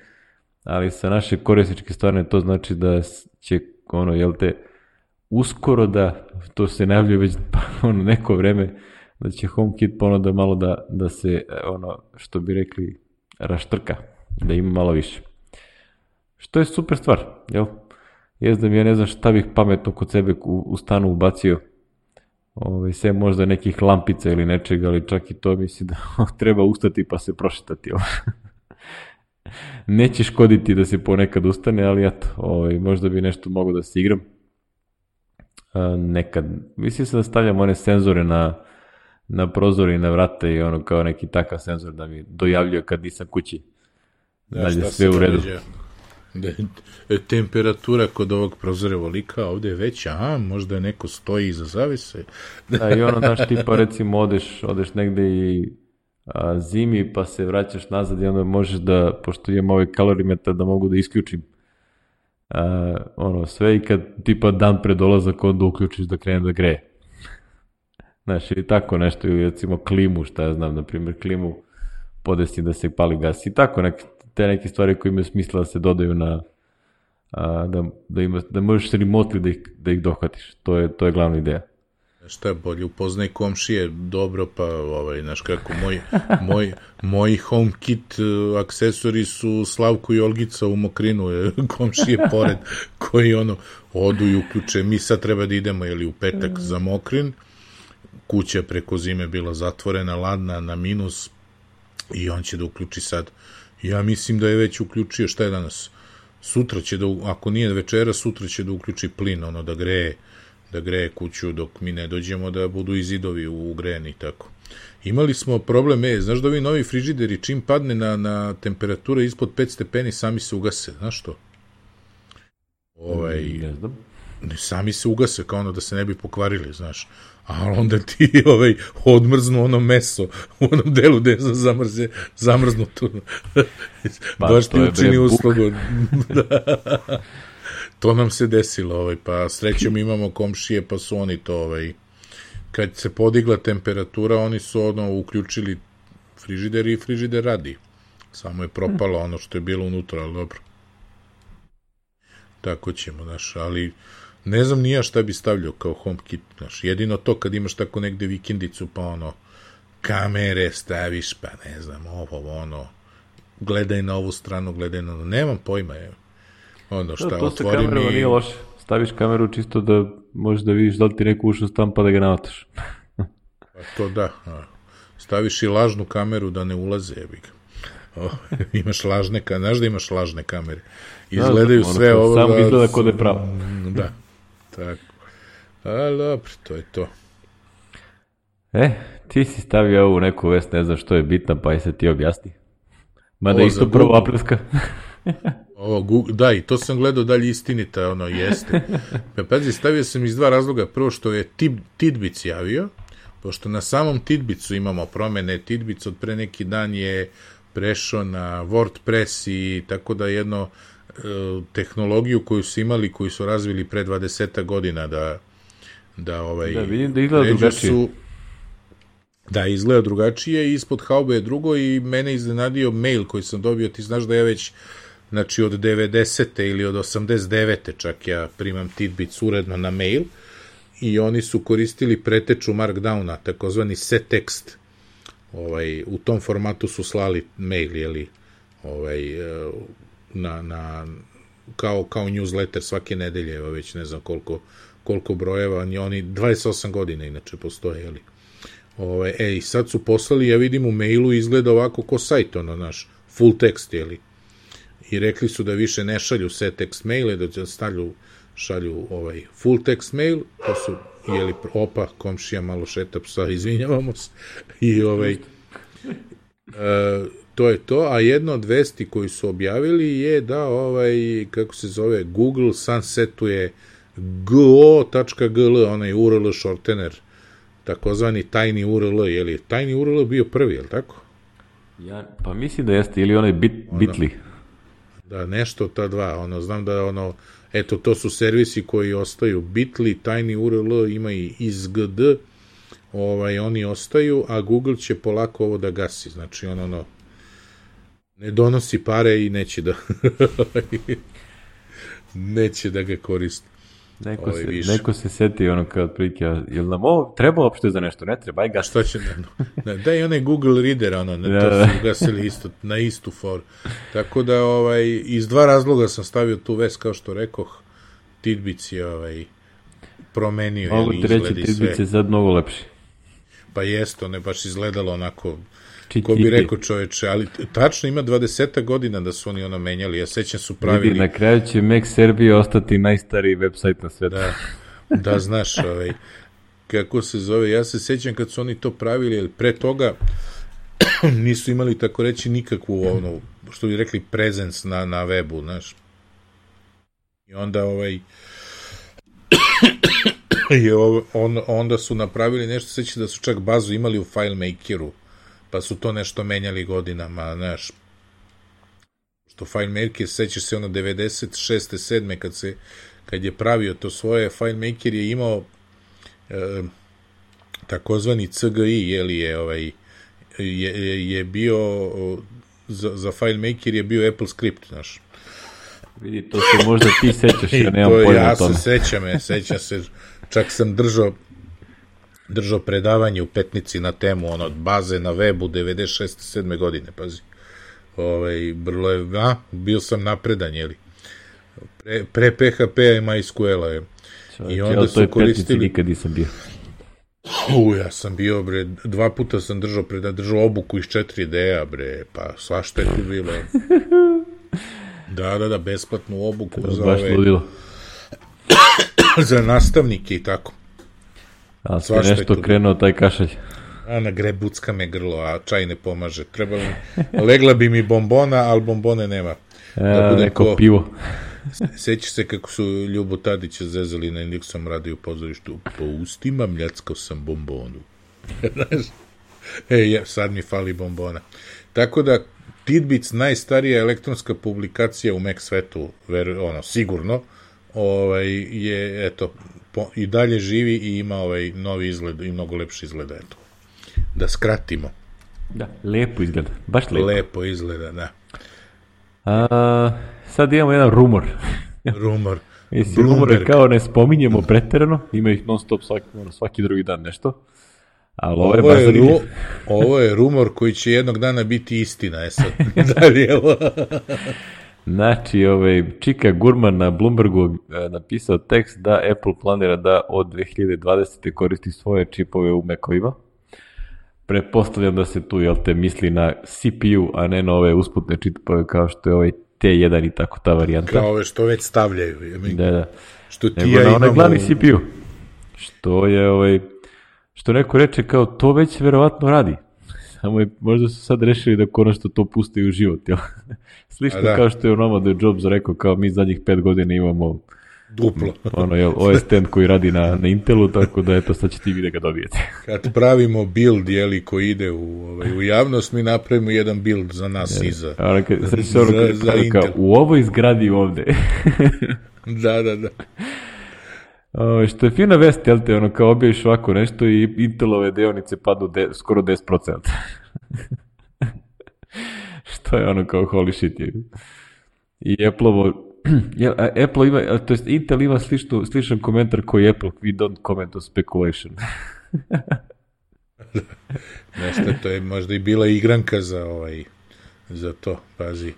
A: ali sa naše korisničke strane to znači da će ono, jel te, uskoro da, to se najavljuje već ono, neko vreme, da će HomeKit ponuda malo da, da se, ono, što bi rekli, raštrka, da ima malo više. Što je super stvar, jel? Jes da mi ja ne znam šta bih pametno kod sebe u, u stanu ubacio, Ove, sve možda nekih lampica ili nečega, ali čak i to misli da treba ustati pa se prošetati. Neće škoditi da se ponekad ustane, ali eto, ovaj, možda bi nešto mogao da se igram. A, nekad, mislim se da stavljam one senzore na, na prozore i na vrate i ono kao neki takav senzor da mi dojavljuje kad nisam kući.
B: Da, šta sve u redu. Da je temperatura kod ovog prozora volika, ovde je veća, a možda neko stoji iza zavise.
A: Da, i ono, znaš, tipa recimo odeš, odeš negde i a, zimi pa se vraćaš nazad i onda možeš da, pošto imam ovaj kalorimetar, da mogu da isključim a, ono sve i kad tipa dan pred dolazak onda uključiš da krene da greje. Znaš, ili tako nešto, ili recimo klimu, šta ja znam, na primjer klimu podesi da se pali gas i tako neke, te neke stvari koje imaju smisla da se dodaju na a, da, da, ima, da možeš remotely da ih, da ih dohvatiš. To je, to je glavna ideja.
B: Šta je bolje, upoznaj komšije dobro, pa ovaj, znaš kako, moj, moj, moji HomeKit aksesori su Slavko i Olgica u Mokrinu, komšije pored, koji ono, odu i uključe, mi sad treba da idemo, jeli u petak za Mokrin, kuća preko zime bila zatvorena, ladna, na minus, i on će da uključi sad. Ja mislim da je već uključio, šta je danas? Sutra će da, ako nije večera, sutra će da uključi plin, ono, da greje, da greje kuću dok mi ne dođemo, da budu i zidovi ugrejeni i tako. Imali smo problem, e, znaš da ovi novi frižideri, čim padne na, na temperatura ispod pet stepeni, sami se ugase, znaš to? Ovaj,
A: ne znam.
B: Ne, sami se ugase, kao ono da se ne bi pokvarili, znaš. Ali onda ti ovaj, odmrznu ono meso u onom delu gde je zamrze, zamrznuto. Pa, baš ti učini uslugu. To nam se desilo, ovaj, pa srećom imamo komšije, pa su oni to, ovaj, kad se podigla temperatura, oni su ono uključili frižider i frižider radi. Samo je propalo ono što je bilo unutra, ali dobro. Tako ćemo, znaš, ali ne znam nija šta bi stavljao kao HomeKit, znaš, jedino to kad imaš tako negde vikendicu, pa ono, kamere staviš, pa ne znam, ovo, ono, gledaj na ovu stranu, gledaj na ono, nemam pojma, evo. Ono šta,
A: to
B: otvori
A: mi... To sa nije loše, staviš kameru čisto da možeš da vidiš da li ti neko ušao stan pa da ga navataš.
B: Pa to da, a. Staviš i lažnu kameru da ne ulaze, jebi ga. O, imaš lažne kamere, znaš da imaš lažne kamere. Izgledaju da, da, sve ovo.
A: Samo izgleda kod je pravo.
B: Da, tako. Ali dobro, to je to.
A: E, ti si stavio ovu neku vest, ne znam što je bitna, pa i se ti objasni. Mada isto prvo aprilska.
B: Ovo, Google, da, i to sam gledao dalje istinita, ono, jeste. Pa pazi, stavio sam iz dva razloga. Prvo što je Tidbits javio, pošto na samom Tidbitsu imamo promene, Tidbits od pre neki dan je prešao na WordPress i tako da jedno e, tehnologiju koju su imali, koju su razvili pre dvadeset godina da da ovaj
A: da vidim da izgleda drugačije. Su,
B: da, izgleda drugačije i ispod haube je drugo i mene iznenadio mail koji sam dobio, ti znaš da ja već znači od devedesete ili od osamdeset devete čak ja primam Tidbits uredno na mail i oni su koristili preteču Markdowna, takozvani settext. Ovaj, u tom formatu su slali mail, jeli, ovaj, na, na, kao, kao newsletter svake nedelje, evo već ne znam koliko, koliko brojeva, oni dvadeset osam godina inače postoje, jeli. Ovaj, e, i sad su poslali, ja vidim u mailu izgleda ovako ko sajt, ono, naš, full text, jeli. I rekli su da više ne šalju set text maile, da stavlju, šalju ovaj, full text mail, to su jeli, opa, komšija malo šeta psa, izvinjavamo se, i ovaj, E, to je to, a jedno od vesti koji su objavili je da ovaj, kako se zove, Google sunsetuje go tačka gl, onaj U R L shortener, takozvani tajni U R L, je li tajni U R L bio prvi, je li tako?
A: Ja, pa mislim da jeste, ili onaj bit, ono, Bitly.
B: Da, nešto ta dva, ono, znam da ono, eto, to su servisi koji ostaju, Bitly, tajni U R L, ima i izgd, ovaj, oni ostaju, a Google će polako ovo da gasi, znači, ono, ono, ne donosi pare i neće da neće da ga koristi.
A: Neko, ovaj, se, neko se seti ono kao otprilike, jel nam ovo treba uopšte za nešto, ne treba, aj gas.
B: Šta će nam, da, daj onaj Google Reader, ono, ne, to da, su gasili isto, na istu foru. Tako da, ovaj, iz dva razloga sam stavio tu vest, kao što rekoh, Tidbits je, ovaj, promenio,
A: mogu ti reći, Tidbits je sad mnogo lepši.
B: Pa jest, ono je baš izgledalo onako, ko bi rekao čoveče, ali tačno ima dvadeset godina da su oni ono menjali, ja sećam su pravili...
A: Vidi, na kraju će Mac Serbia ostati najstariji website na svetu.
B: Da, da znaš, ovaj, kako se zove, ja se sećam kad su oni to pravili, jer pre toga nisu imali, tako reći, nikakvu, ono, što bi rekli, presence na, na webu, znaš. I onda, ovaj... I on, onda su napravili nešto, sećam da su čak bazu imali u FileMakeru, pa su to nešto menjali godinama, znaš, što FileMaker, sećaš se ono devedeset šeste sedme kad se, kad je pravio to svoje, FileMaker je imao e, takozvani C G I, jeli je, ovaj, je, je bio, za, za FileMaker je bio Apple script, znaš.
A: Vidi, to se možda ti sećaš, ja nemam pojma o tome.
B: Ja se sećam, ja sećam se, čak sam držao držao predavanje u Petnici na temu ono, baze na webu devedeset šeste sedme godine, pazi. Ovaj, brlo je, a, bio sam napredan, jeli. Pre, pre P H P-a i MySQL-a je.
A: I onda su koristili... nikad nisam bio.
B: U, ja sam bio, bre, dva puta sam držao, preda, držao obuku iz četiri D-a, bre, pa svašta je tu bilo. Da, da, da, besplatnu obuku za
A: baš
B: ove...
A: ludilo.
B: za nastavnike i tako.
A: A sve nešto krenuo taj kašalj.
B: A na grebucka me grlo, a čaj ne pomaže. Trebalo mi, legla bi mi bombona, ali bombone nema.
A: Da bude neko ko, pivo.
B: Sećaš se kako su Ljubo Tadića zezali na Indeksom radio pozorištu. Po ustima mljackao sam bombonu. Znaš? E, sad mi fali bombona. Tako da, Tidbits, najstarija elektronska publikacija u Mac svetu, ver, ono, sigurno, ovaj, je, eto, po, i dalje živi i ima ovaj novi izgled i mnogo lepši izgleda, eto. Da skratimo.
A: Da, lepo izgleda, baš lepo.
B: Lepo izgleda, da.
A: A, sad imamo jedan rumor.
B: Rumor.
A: Mislim, rumore kao ne spominjemo preterano, ima ih non stop svaki, svaki drugi dan nešto. Ali ovo, ovo, je ru,
B: ovo je rumor koji će jednog dana biti istina, je sad. Dalje,
A: znači, ovaj, Čika Gurman na Bloombergu e, napisao tekst da Apple planira da od dve hiljade dvadesete koristi svoje čipove u Mac-ovima. Pretpostavljam da se tu, jel te, misli na C P U, a ne na ove usputne čipove kao što je ovaj T jedan i tako ta varijanta.
B: Kao ove što već stavljaju. Ja
A: da, da.
B: Što ti
A: Nego
B: ja
A: na onaj
B: imamo...
A: glavni C P U. Što je, ovaj, što neko reče kao to već verovatno radi. Samo je, možda su sad rešili da konačno to puste u život, jel? Slično da. Kao što je onoma da je Jobs rekao, kao mi zadnjih pet godina imamo
B: duplo.
A: Ono, jel, O S X koji radi na, na Intelu, tako da eto, sad ćete i vi da ga dobijete.
B: Kad pravimo build, jeli, koji ide u, ovaj, u javnost, mi napravimo jedan build za nas
A: je,
B: iza.
A: A, kad, sad se ono za, za kao, u ovoj zgradi ovde.
B: Da, da, da.
A: O, što je fina vest, jel te, ono, kao objaviš ovako nešto i Intelove deonice padnu de, skoro deset posto. Što je ono kao holy shit. Je. I Apple-ovo, jel, Apple ima, to jest Intel ima sličnu, sličan komentar koji Apple, we don't comment on speculation.
B: Nešto, to je možda i bila igranka za ovaj, za to, pazi.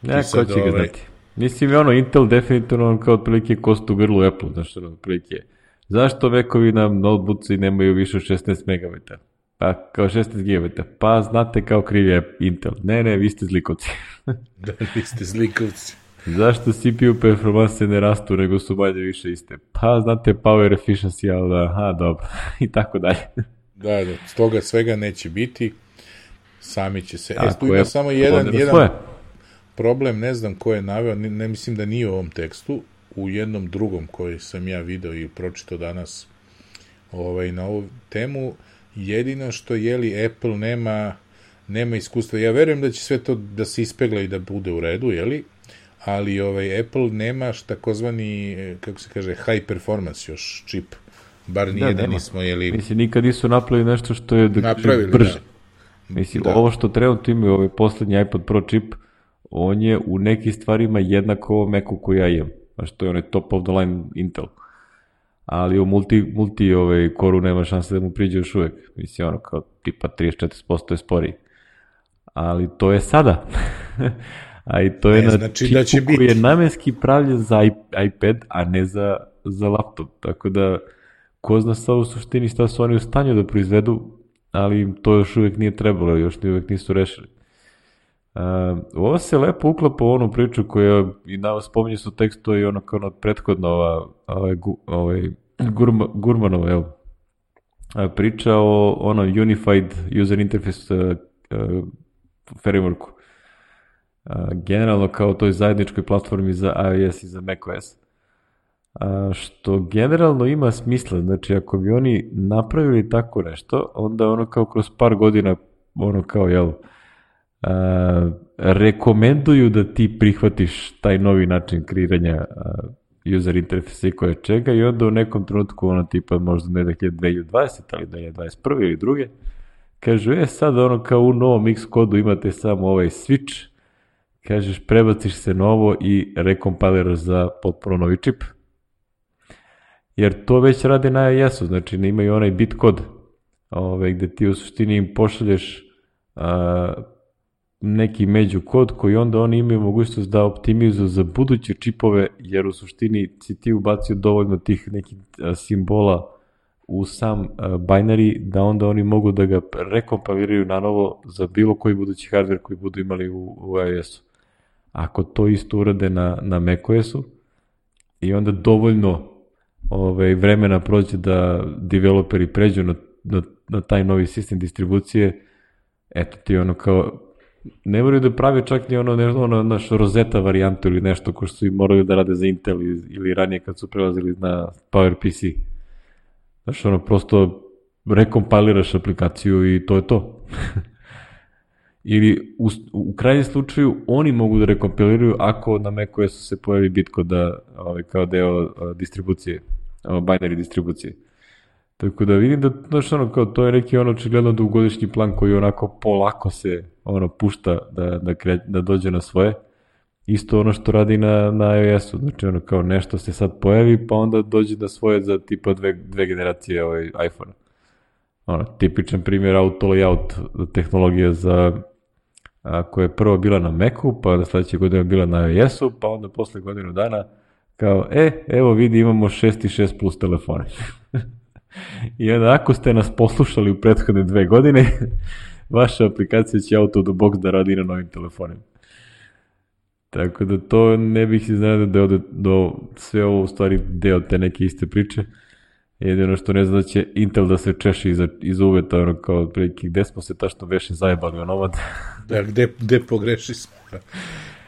A: Ne, ko će ga ovaj... znati. Mislim, ono, Intel definitivno kao otprilike kost u grlu Apple, znaš, ono, otprilike. Zašto Macovi na notebooci nemaju više od šesnaest megabajta? Pa, kao šesnaest gigabajta. Pa, znate kao kriv je Intel. Ne, ne, vi ste zlikovci.
B: Da, vi ste zlikovci.
A: Zašto C P U performanse ne rastu, nego su manje više iste? Pa, znate, power efficiency, ali da, aha, dobro. I tako dalje.
B: Da, da, s toga svega neće biti. Sami će se.
A: A,
B: e, tu ima samo jedan, jedan
A: svoje.
B: problem, ne znam ko je naveo, ne, ne mislim da nije u ovom tekstu, u jednom drugom koji sam ja video i pročitao danas ovaj, na ovu temu, jedino što je li Apple nema, nema iskustva. Ja verujem da će sve to da se ispegla i da bude u redu, jeli? Ali ovaj, Apple nema takozvani, kako se kaže, high performance još čip. Bar nije da, da nismo, jeli...
A: Mislim, nikad nisu napravili nešto što je da
B: napravili,
A: brže.
B: Da.
A: Mislim,
B: da.
A: Ovo što trenutno imaju, ovaj poslednji iPod Pro čip, on je u nekim stvarima jednako ovo Macu koji ja imam. A što je onaj top of the line Intel. Ali u multi, multi ovaj, koru nema šanse da mu priđe još uvek. Mislim, ono kao tipa trideset četiri posto je sporiji. Ali to je sada. A i to je ne, na znači čipu da će koji biti. Je namenski pravljen za iPad, a ne za, za laptop. Tako da, ko zna sa u suštini šta su oni u stanju da proizvedu, ali im to još uvek nije trebalo, još uvek nisu rešili. Uh, ovo se lepo uklapa u onu priču koja i na spominje su tekstu i ono kao ono prethodno ova, ovaj, ovaj Gurma, Gurmanova jel? Priča o ono Unified User Interface uh, uh, frameworku. Uh, generalno kao toj zajedničkoj platformi za iOS i za macOS. Uh, što generalno ima smisla, znači ako bi oni napravili tako nešto, onda ono kao kroz par godina ono kao jel Uh, rekomenduju da ti prihvatiš taj novi način kreiranja uh, user interfejsa i koje čega i onda u nekom trenutku ono tipa možda ne dve hiljade dvadesete ali da je dvadeset prve ili druge kažu e sad ono kao u novom Xcodu imate samo ovaj switch, kažeš prebaciš se na ovo i rekompiliraš za potpuno novi čip, jer to već rade na iOS-u, znači ne imaju onaj bitkod ove, gde ti u suštini im pošalješ uh, neki među kod koji onda oni imaju mogućnost da optimizuju za buduće čipove, jer u suštini si ti ubacio dovoljno tih nekih simbola u sam binary da onda oni mogu da ga rekompiliraju na novo za bilo koji budući hardware koji budu imali u, u iOS-u. Ako to isto urade na, na macOS-u i onda dovoljno ovaj, vremena prođe da developeri pređu na, na, na taj novi sistem distribucije, eto ti ono kao ne moraju da pravi čak ni ono, nešto, ono naš Rosetta varijantu ili nešto ko što su i morali da rade za Intel ili, ili ranije kad su prelazili na PowerPC. Znaš, ono, prosto rekompiliraš aplikaciju i to je to. Ili u, u krajnjem slučaju oni mogu da rekompiliraju ako na macOS-u se pojavi bitko da, ovaj, kao deo a, distribucije, a, binary distribucije. Tako da vidim da, znaš, ono, kao, to je neki ono očigledno dugogodišnji plan koji onako polako se ono pušta da, da, kre, da dođe na svoje. Isto ono što radi na, na iOS-u, znači ono kao nešto se sad pojavi pa onda dođe na svoje za tipa dve, dve generacije ovaj iPhone-a. Ono, tipičan primjer auto layout tehnologija za a, koja je prvo bila na Macu, pa onda sledeće godine bila na iOS-u, pa onda posle godinu dana kao, e, evo vidi imamo šest i šest plus telefone. I onda ako ste nas poslušali u prethodne dve godine, vaša aplikacija će out of the box da radi na novim telefonima. Tako da to ne bih se znao da ode do sve ovo u stvari deo te neke iste priče. Jedino što ne zna da će Intel da se češi iza, iza uveta, ono kao prilike, gde smo se tačno veše zajebali onomad.
B: Da, gde, gde pogreši smo.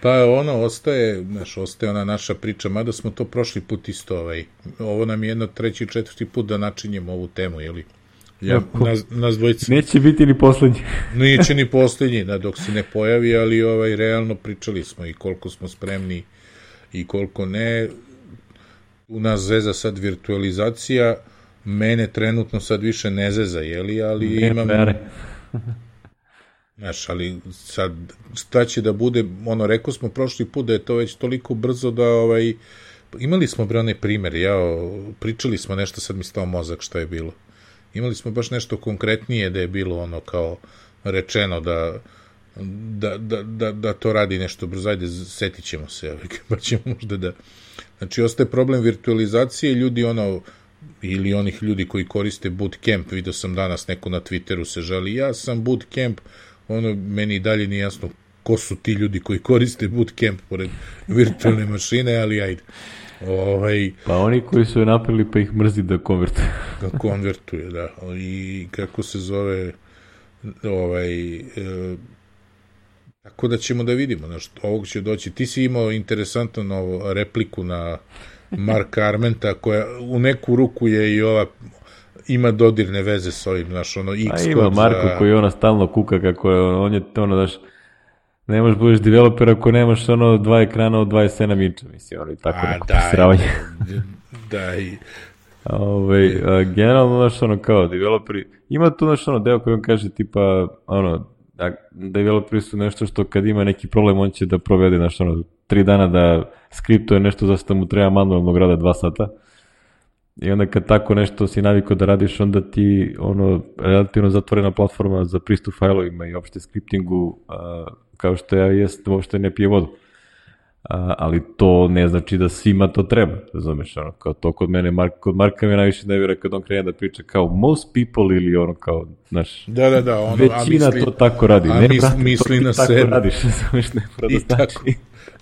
B: Pa ono, ostaje, znaš, ostaje ona naša priča, mada smo to prošli put isto, ovaj, ovo nam je jedno treći, četvrti put da načinjemo ovu temu, jeli? Ja, nas, nas dvojica.
A: Neće biti ni poslednji.
B: Neće ni poslednji, da, dok se ne pojavi, ali ovaj, realno pričali smo i koliko smo spremni i koliko ne. U nas zeza sad virtualizacija, mene trenutno sad više ne zeza, jeli, ali ne, imam... Znaš, ali sad, šta će da bude, ono, rekao smo prošli put da je to već toliko brzo da, ovaj, imali smo bre onaj primer, ja, pričali smo nešto, sad mi stao mozak šta je bilo. Imali smo baš nešto konkretnije da je bilo ono kao rečeno da, da, da, da, da to radi nešto brzo, ajde, setit ćemo se, pa ćemo možda da... Znači, ostaje problem virtualizacije, ljudi ono, ili onih ljudi koji koriste Bootcamp, vidio sam danas neko na Twitteru se žali, ja sam Bootcamp, ono, meni i dalje nije jasno ko su ti ljudi koji koriste Bootcamp pored virtualne mašine, ali ajde. Ovaj,
A: pa oni koji su je napravili pa ih mrzi da konvertuje.
B: Da konvertuje, da. I kako se zove, ovaj, e, tako da ćemo da vidimo, znaš, ovog će doći. Ti si imao interesantnu novu repliku na Marka Armenta, koja u neku ruku je i ova, ima dodirne veze s ovim, znaš, ono, X-Code.
A: A ima Marko za... koji ona stalno kuka kako je, on je, ono, znaš, ne možeš budeš developer ako nemaš ono dva ekrana od dvadeset sedam inča, mislim, ono i tako neko posravanje.
B: Da, i...
A: Ove, a, generalno, znaš, ono, kao developeri, ima tu, znaš, ono, deo koji on kaže, tipa, ono, da, developeri su nešto što kad ima neki problem, on će da provede, znaš, ono, tri dana da skriptuje nešto za što mu treba manualnog rada dva sata. I onda kad tako nešto si navikao da radiš, onda ti, ono, relativno zatvorena platforma za pristup failovima i opšte skriptingu, a, kao što ja jest, uopšte ne pije vodu. A, ali to ne znači da svima to treba, razumeš, ono, kao to kod mene, Mark, kod Marka mi najviše ne vjera kad on krene da priča kao most people ili ono kao, znaš,
B: da, da, da, ono,
A: većina misli, to tako radi,
B: a
A: ne,
B: mis,
A: brate,
B: misli
A: to
B: na
A: ti tako
B: sebe.
A: radiš, razumeš, ne mora da znači.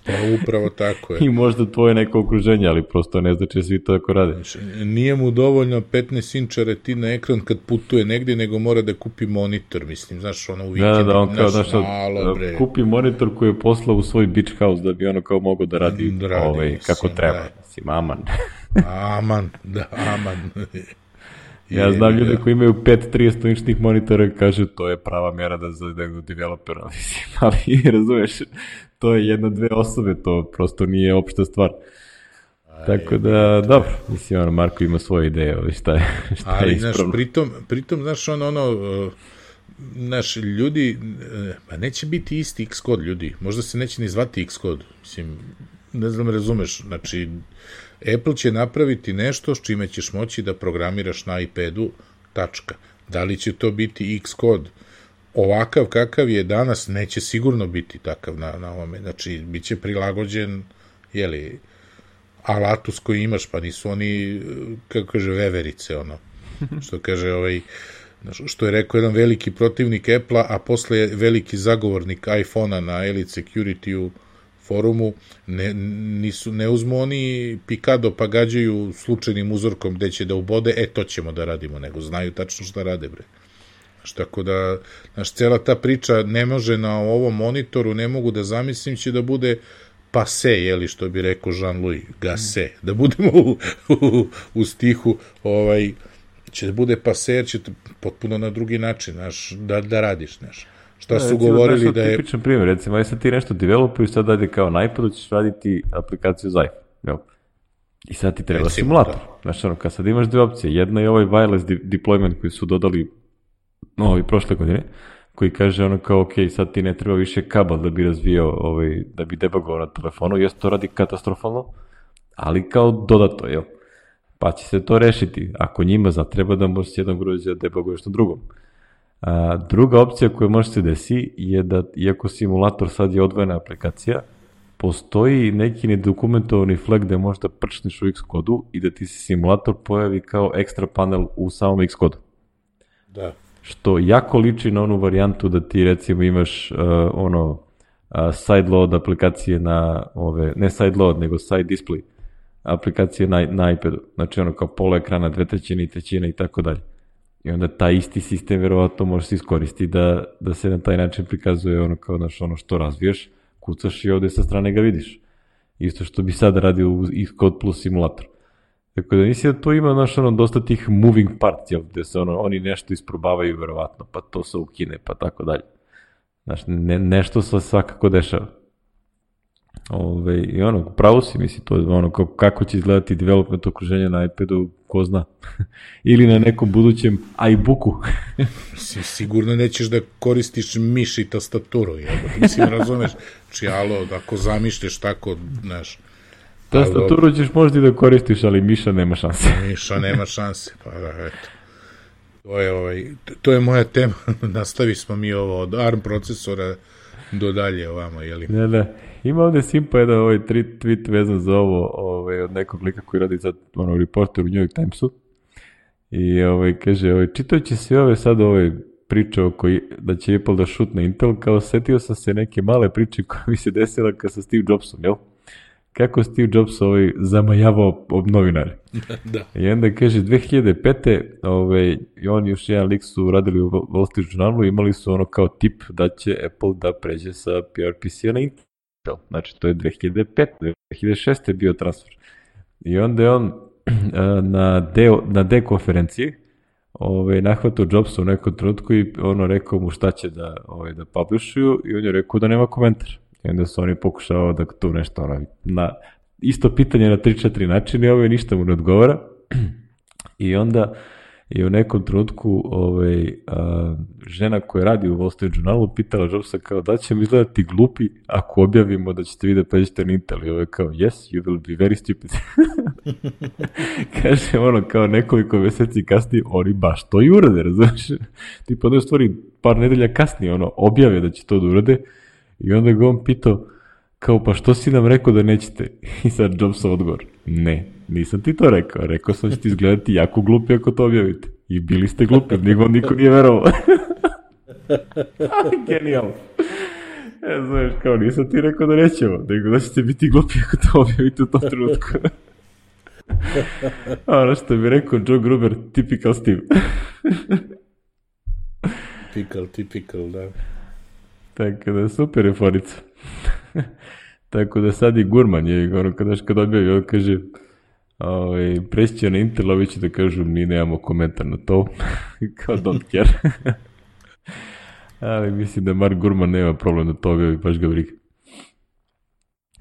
B: Pa upravo tako je.
A: I možda tvoje neko okruženje, ali prosto ne znači svi to tako rade.
B: Znači, nije mu dovoljno petnaest inča retina ekran kad putuje negdje, nego mora da kupi monitor, mislim, znaš, ono u vikendu.
A: Da, da, on kao, znaš,
B: malo,
A: kupi monitor koji je poslao u svoj beach house da bi ono kao mogao da radi, da radi ovaj, mislim, kako treba. Da. Mislim, aman.
B: Aman, da, aman.
A: Ja znam ljude koji imaju pet trideset inčnih monitora i kažu to je prava mjera da za developera, mislim, ali razumeš, to je jedna, dve osobe, to prosto nije opšta stvar. Aj, tako da, dobro, mislim, ono, Marko ima svoje ideje, šta je, šta
B: ali,
A: je ispravno.
B: Ali, pritom, pritom, znaš, ono, ono, znaš, ljudi, pa neće biti isti Xcode ljudi, možda se neće ni zvati Xcode, mislim, ne znam, razumeš, znači, Apple će napraviti nešto s čime ćeš moći da programiraš na iPadu, tačka. Da li će to biti Xcode? Ovakav kakav je danas, neće sigurno biti takav na, na ovome. Znači, bit će prilagođen, jeli, alatu s koji imaš, pa nisu oni, kako kaže, veverice, ono. Što kaže, ovaj, što je rekao jedan veliki protivnik Apple-a, a posle je veliki zagovornik iPhone-a na Elite Security-u forumu, ne, nisu, ne uzmu oni pikado pa gađaju slučajnim uzorkom gde će da ubode, e, to ćemo da radimo, nego znaju tačno šta rade, bre. Znaš, tako da, znaš, cela ta priča ne može na ovom monitoru, ne mogu da zamislim, će da bude pase, jeli, što bi rekao Jean-Louis, gase, da budemo u, u, u stihu, ovaj, će da bude pase, jer će potpuno na drugi način, znaš, da, da radiš, znaš. Šta su recimo, govorili da je...
A: Tipičan primjer, recimo, aj sad ti nešto developuju, sad dajde kao na iPadu, ćeš raditi aplikaciju za iPhone, jel? I sad ti treba recimo, simulator. Da. Znaš, ono, kad sad imaš dve opcije, jedna je ovaj wireless de- deployment koji su dodali no, ovi prošle godine, koji kaže ono kao, ok, sad ti ne treba više kabel da bi razvijao, ovaj, da bi debugovao na telefonu, jest to radi katastrofalno, ali kao dodato, jel? Pa će se to rešiti. Ako njima zatreba da možeš jedan uređaj da debuguješ na drugom. A, druga opcija koja može se desi je da, iako simulator sad je odvojena aplikacija, postoji neki nedokumentovani flag gde možda prčneš u Xcode-u i da ti se simulator pojavi kao ekstra panel u samom Xcode-u.
B: Da.
A: Što jako liči na onu varijantu da ti recimo imaš uh, ono uh, sideload aplikacije na ove, ne sideload nego side display aplikacije na, na iPadu. Znači ono kao pola ekrana, dve trećine i trećina i tako dalje. I onda taj isti sistem verovatno može se iskoristiti da, da se na taj način prikazuje ono kao naš, ono što razviješ, kucaš i ovde sa strane ga vidiš. Isto što bi sad radio u Xcode plus simulator. Tako da mislim da to ima naš, ono, dosta tih moving parts, jel, gde se ono, oni nešto isprobavaju verovatno, pa to se ukine, pa tako dalje. Znaš, ne, nešto se svakako dešava. Ove, I ono, pravo si, misli, to je ono, kako će izgledati development okruženja na iPadu, ko zna. Ili na nekom budućem iBooku.
B: Sigurno nećeš da koristiš miš i tastaturu, jel? Mislim, razumeš, či alo, ako zamišljaš tako, znaš,
A: tastaturu ćeš možda i da koristiš, ali miša nema šanse.
B: Miša nema šanse, pa da, eto. To je, ovaj, to je moja tema, nastavi smo mi ovo od A R M procesora do dalje ovamo, jeli?
A: Ne, ne, ima ovde Simpa jedan ovaj tweet vezan za ovo ovaj, od nekog lika koji radi sad ono, reporter u New York Timesu i ovaj, kaže, ovaj, čitajući sve ove sad ove priče oko da će Apple da šutne Intel, kao setio sam se neke male priče koje mi se desila kad sa Steve Jobsom, jel? kako Steve Jobs ovaj, zamajavao ob novinare.
B: Da.
A: I onda kaže, dve hiljade pete. Ovaj, i on još jedan lik su radili u Wall Street Journalu, imali su ono kao tip da će Apple da pređe sa P R P C-a na Intel. Znači, to je dve hiljade pete. dve hiljade šeste je bio transfer. I onda je on na D, na D konferenciji ovaj, nahvatao Jobsa u nekom trenutku i ono rekao mu šta će da, ovaj, da publishuju i on je rekao da nema komentar. I onda su oni pokušavao da tu nešto ono, na isto pitanje na tri četiri načine i ovaj ništa mu ne odgovara. I onda je u nekom trenutku ovaj, a, žena koja radi u Wall Street Journalu pitala Jobsa kao da će mi izgledati glupi ako objavimo da ćete vi da pređete na Intel. I ovaj kao yes, you will be very stupid. Kaže ono kao nekoliko meseci kasnije oni baš to i urade, razumiješ? Tipa da u stvari par nedelja kasnije ono objave da će to da urade i onda ga on pitao kao pa što si nam rekao da nećete? I sad Jobsov odgovor, ne, nisam ti to rekao, rekao sam da ćete izgledati jako glupi ako to objavite. I bili ste glupi, niko, niko nije verovao. Genijalno. Ja znaš, kao nisam ti rekao da nećemo, nego da ćete biti glupi ako to objavite u tom trenutku. Ono što bi rekao Joe Gruber, typical Steve.
B: Typical, typical, da.
A: Tako da, super je forica. Tako da sad i Gurman je, ono, kada, kada objavi, on kaže, ovaj, preći će na Intel, ovi će da kažu, mi nemamo komentar na to, kao don't care. Ali mislim da Mark Gurman nema problem da to objavi, baš ga briga.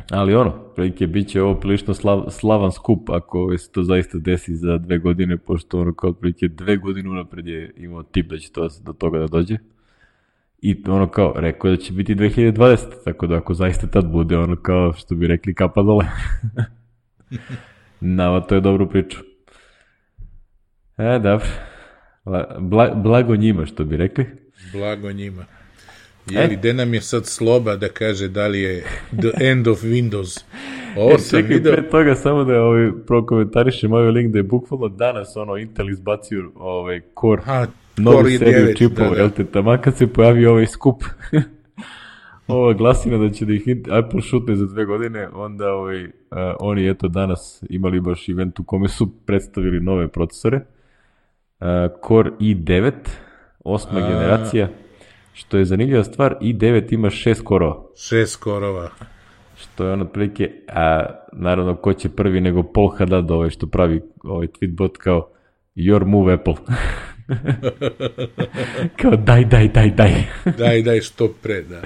A: Ali ono, prilike, bit će ovo prilično slav, slavan skup ako se to zaista desi za dve godine, pošto ono kao prilike dve godine unapred je imao tip da će to do toga da dođe. I ono kao, rekao je da će biti dve hiljade dvadesete. Tako da ako zaista tad bude, ono kao što bi rekli kapa dole. Nama to je dobru priču. E, dobro. Bla, blago njima, što bi rekli.
B: Blago njima. Jeli, gde nam je sad Sloba da kaže da li je the end of Windows? Ovo
A: e,
B: sam
A: čekaj,
B: video...
A: pre toga samo da ovaj, prokomentarišem ovaj link da je bukvalno danas ono Intel izbacio ovaj Core,
B: ha,
A: novu
B: Core
A: seriju
B: devet,
A: čipova,
B: da, da.
A: jel te, tamo kad se pojavi ovaj skup. Ova glasina da će da ih Apple šutne za dve godine, onda ovaj, uh, oni eto danas imali baš event u kome su predstavili nove procesore. Uh, Core i devet, osma A... generacija, što je zanimljiva stvar, i devet ima šest korova.
B: Šest korova.
A: Što je on otprilike, a naravno ko će prvi nego Paul Haddad, ovaj što pravi ovaj tweetbot kao your move Apple. Kao daj, daj, daj, daj.
B: daj, daj, što pre, da.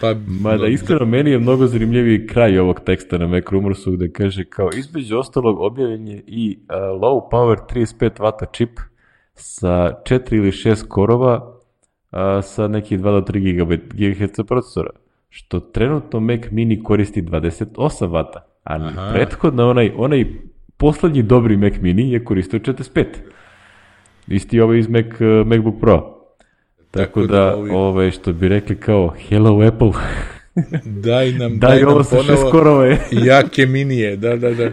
B: Pa,
A: Mada iskreno, meni je mnogo zanimljiviji kraj ovog teksta na Mac Rumorsu gde kaže kao između ostalog objavljen je i uh, low power trideset pet vata čip sa četiri ili šest korova uh, sa nekih dva do tri gigaherca procesora, što trenutno Mac Mini koristi dvadeset osam vata, a Aha. prethodno onaj, onaj poslednji dobri Mac Mini je koristio četrdeset pet. Isti ovaj iz Mac, uh, MacBook Pro. Tako, Tako da, da ovi... ovaj, što bi rekli kao, hello Apple,
B: daj nam,
A: daj, daj nam ovo sa šest korove.
B: Jake minije, da, da, da.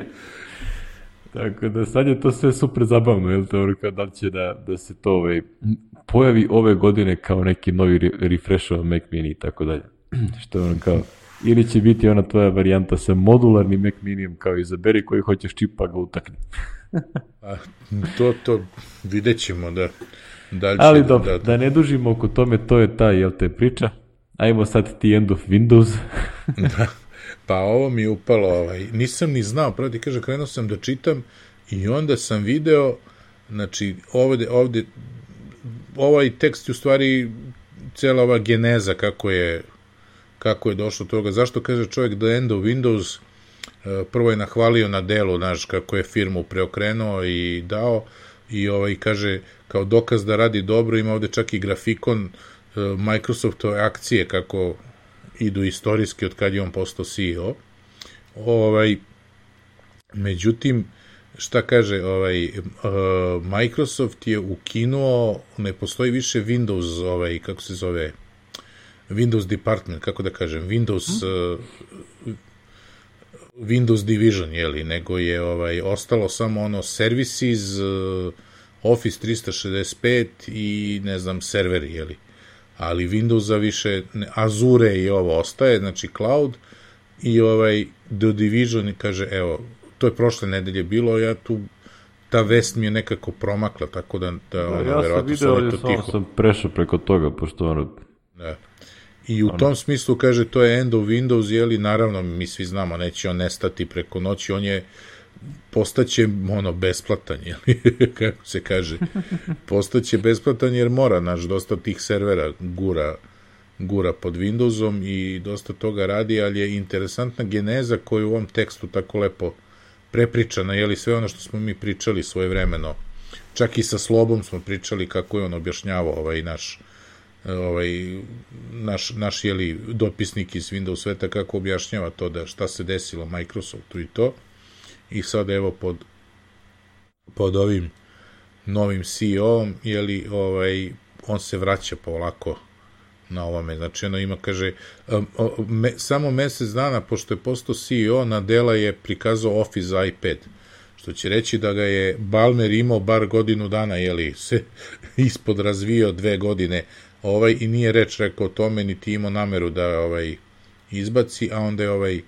A: Tako da sad je to sve super zabavno, jel to, da li će da, da se to ovaj, pojavi ove godine kao neki novi re, refreshova Mac Mini i tako dalje. Što je ono kao, ili će biti ona tvoja varijanta sa modularnim Mac Minijem, kao izaberi koji hoćeš čip pa ga utakni.
B: A, to, to vidjet ćemo, da. Da
A: Ali dobro, da, da. da ne dužimo oko tome, to je ta, jel te, priča. Ajmo sad ti end of Windows.
B: Da, pa ovo mi je upalo, ovaj, nisam ni znao, pravo ti kažem, krenuo sam da čitam i onda sam video, znači, ovde, ovde, ovaj tekst je u stvari cela ova geneza kako je, kako je došlo do toga. Zašto kaže čovjek the end of Windows? Prvo je nahvalio na delu, znaš, kako je firmu preokrenuo i dao, i ovaj kaže kao dokaz da radi dobro, ima ovde čak i grafikon uh, Microsoftove akcije kako idu istorijski od kad je on postao C E O. Ovaj, međutim, šta kaže, ovaj, uh, Microsoft je ukinuo, ne postoji više Windows, ovaj, kako se zove, Windows Department, kako da kažem, Windows uh, Windows Division, jeli, nego je ovaj ostalo samo ono services, uh, Office trista šezdeset pet i ne znam serveri, jeli. Ali Windowsa više, ne, Azure i ovo ostaje, znači cloud, i ovaj The Division kaže, evo, to je prošle nedelje bilo, ja tu, ta vest mi je nekako promakla, tako da, da ono,
A: ja
B: verovatno
A: sam
B: sam
A: vidio,
B: to
A: ali
B: tiho.
A: sam prešao preko toga, pošto ono...
B: Da. I u tom smislu, kaže, to je end of Windows, jeli, naravno, mi svi znamo, neće on nestati preko noći, on je, postaće, ono, besplatan, jeli, kako se kaže, postaće besplatan jer mora, naš, dosta tih servera gura, gura pod Windowsom i dosta toga radi, ali je interesantna geneza koju u ovom tekstu tako lepo prepričana, jeli, sve ono što smo mi pričali svojevremeno, čak i sa Slobom smo pričali kako je on objašnjavao ovaj naš ovaj, naš, naš jeli, dopisnik iz Windows sveta kako objašnjava to da šta se desilo Microsoftu i to. I sad evo pod, pod ovim novim C E O-om, jeli, ovaj, on se vraća polako na ovome. Znači, ono ima, kaže, um, me, samo mesec dana, pošto je postao C E O, na dela je prikazao Office za iPad. Što će reći da ga je Ballmer imao bar godinu dana, jeli, se ispod razvio dve godine, ovaj, i nije reč rekao o tome, niti imao nameru da ovaj izbaci, a onda je ovaj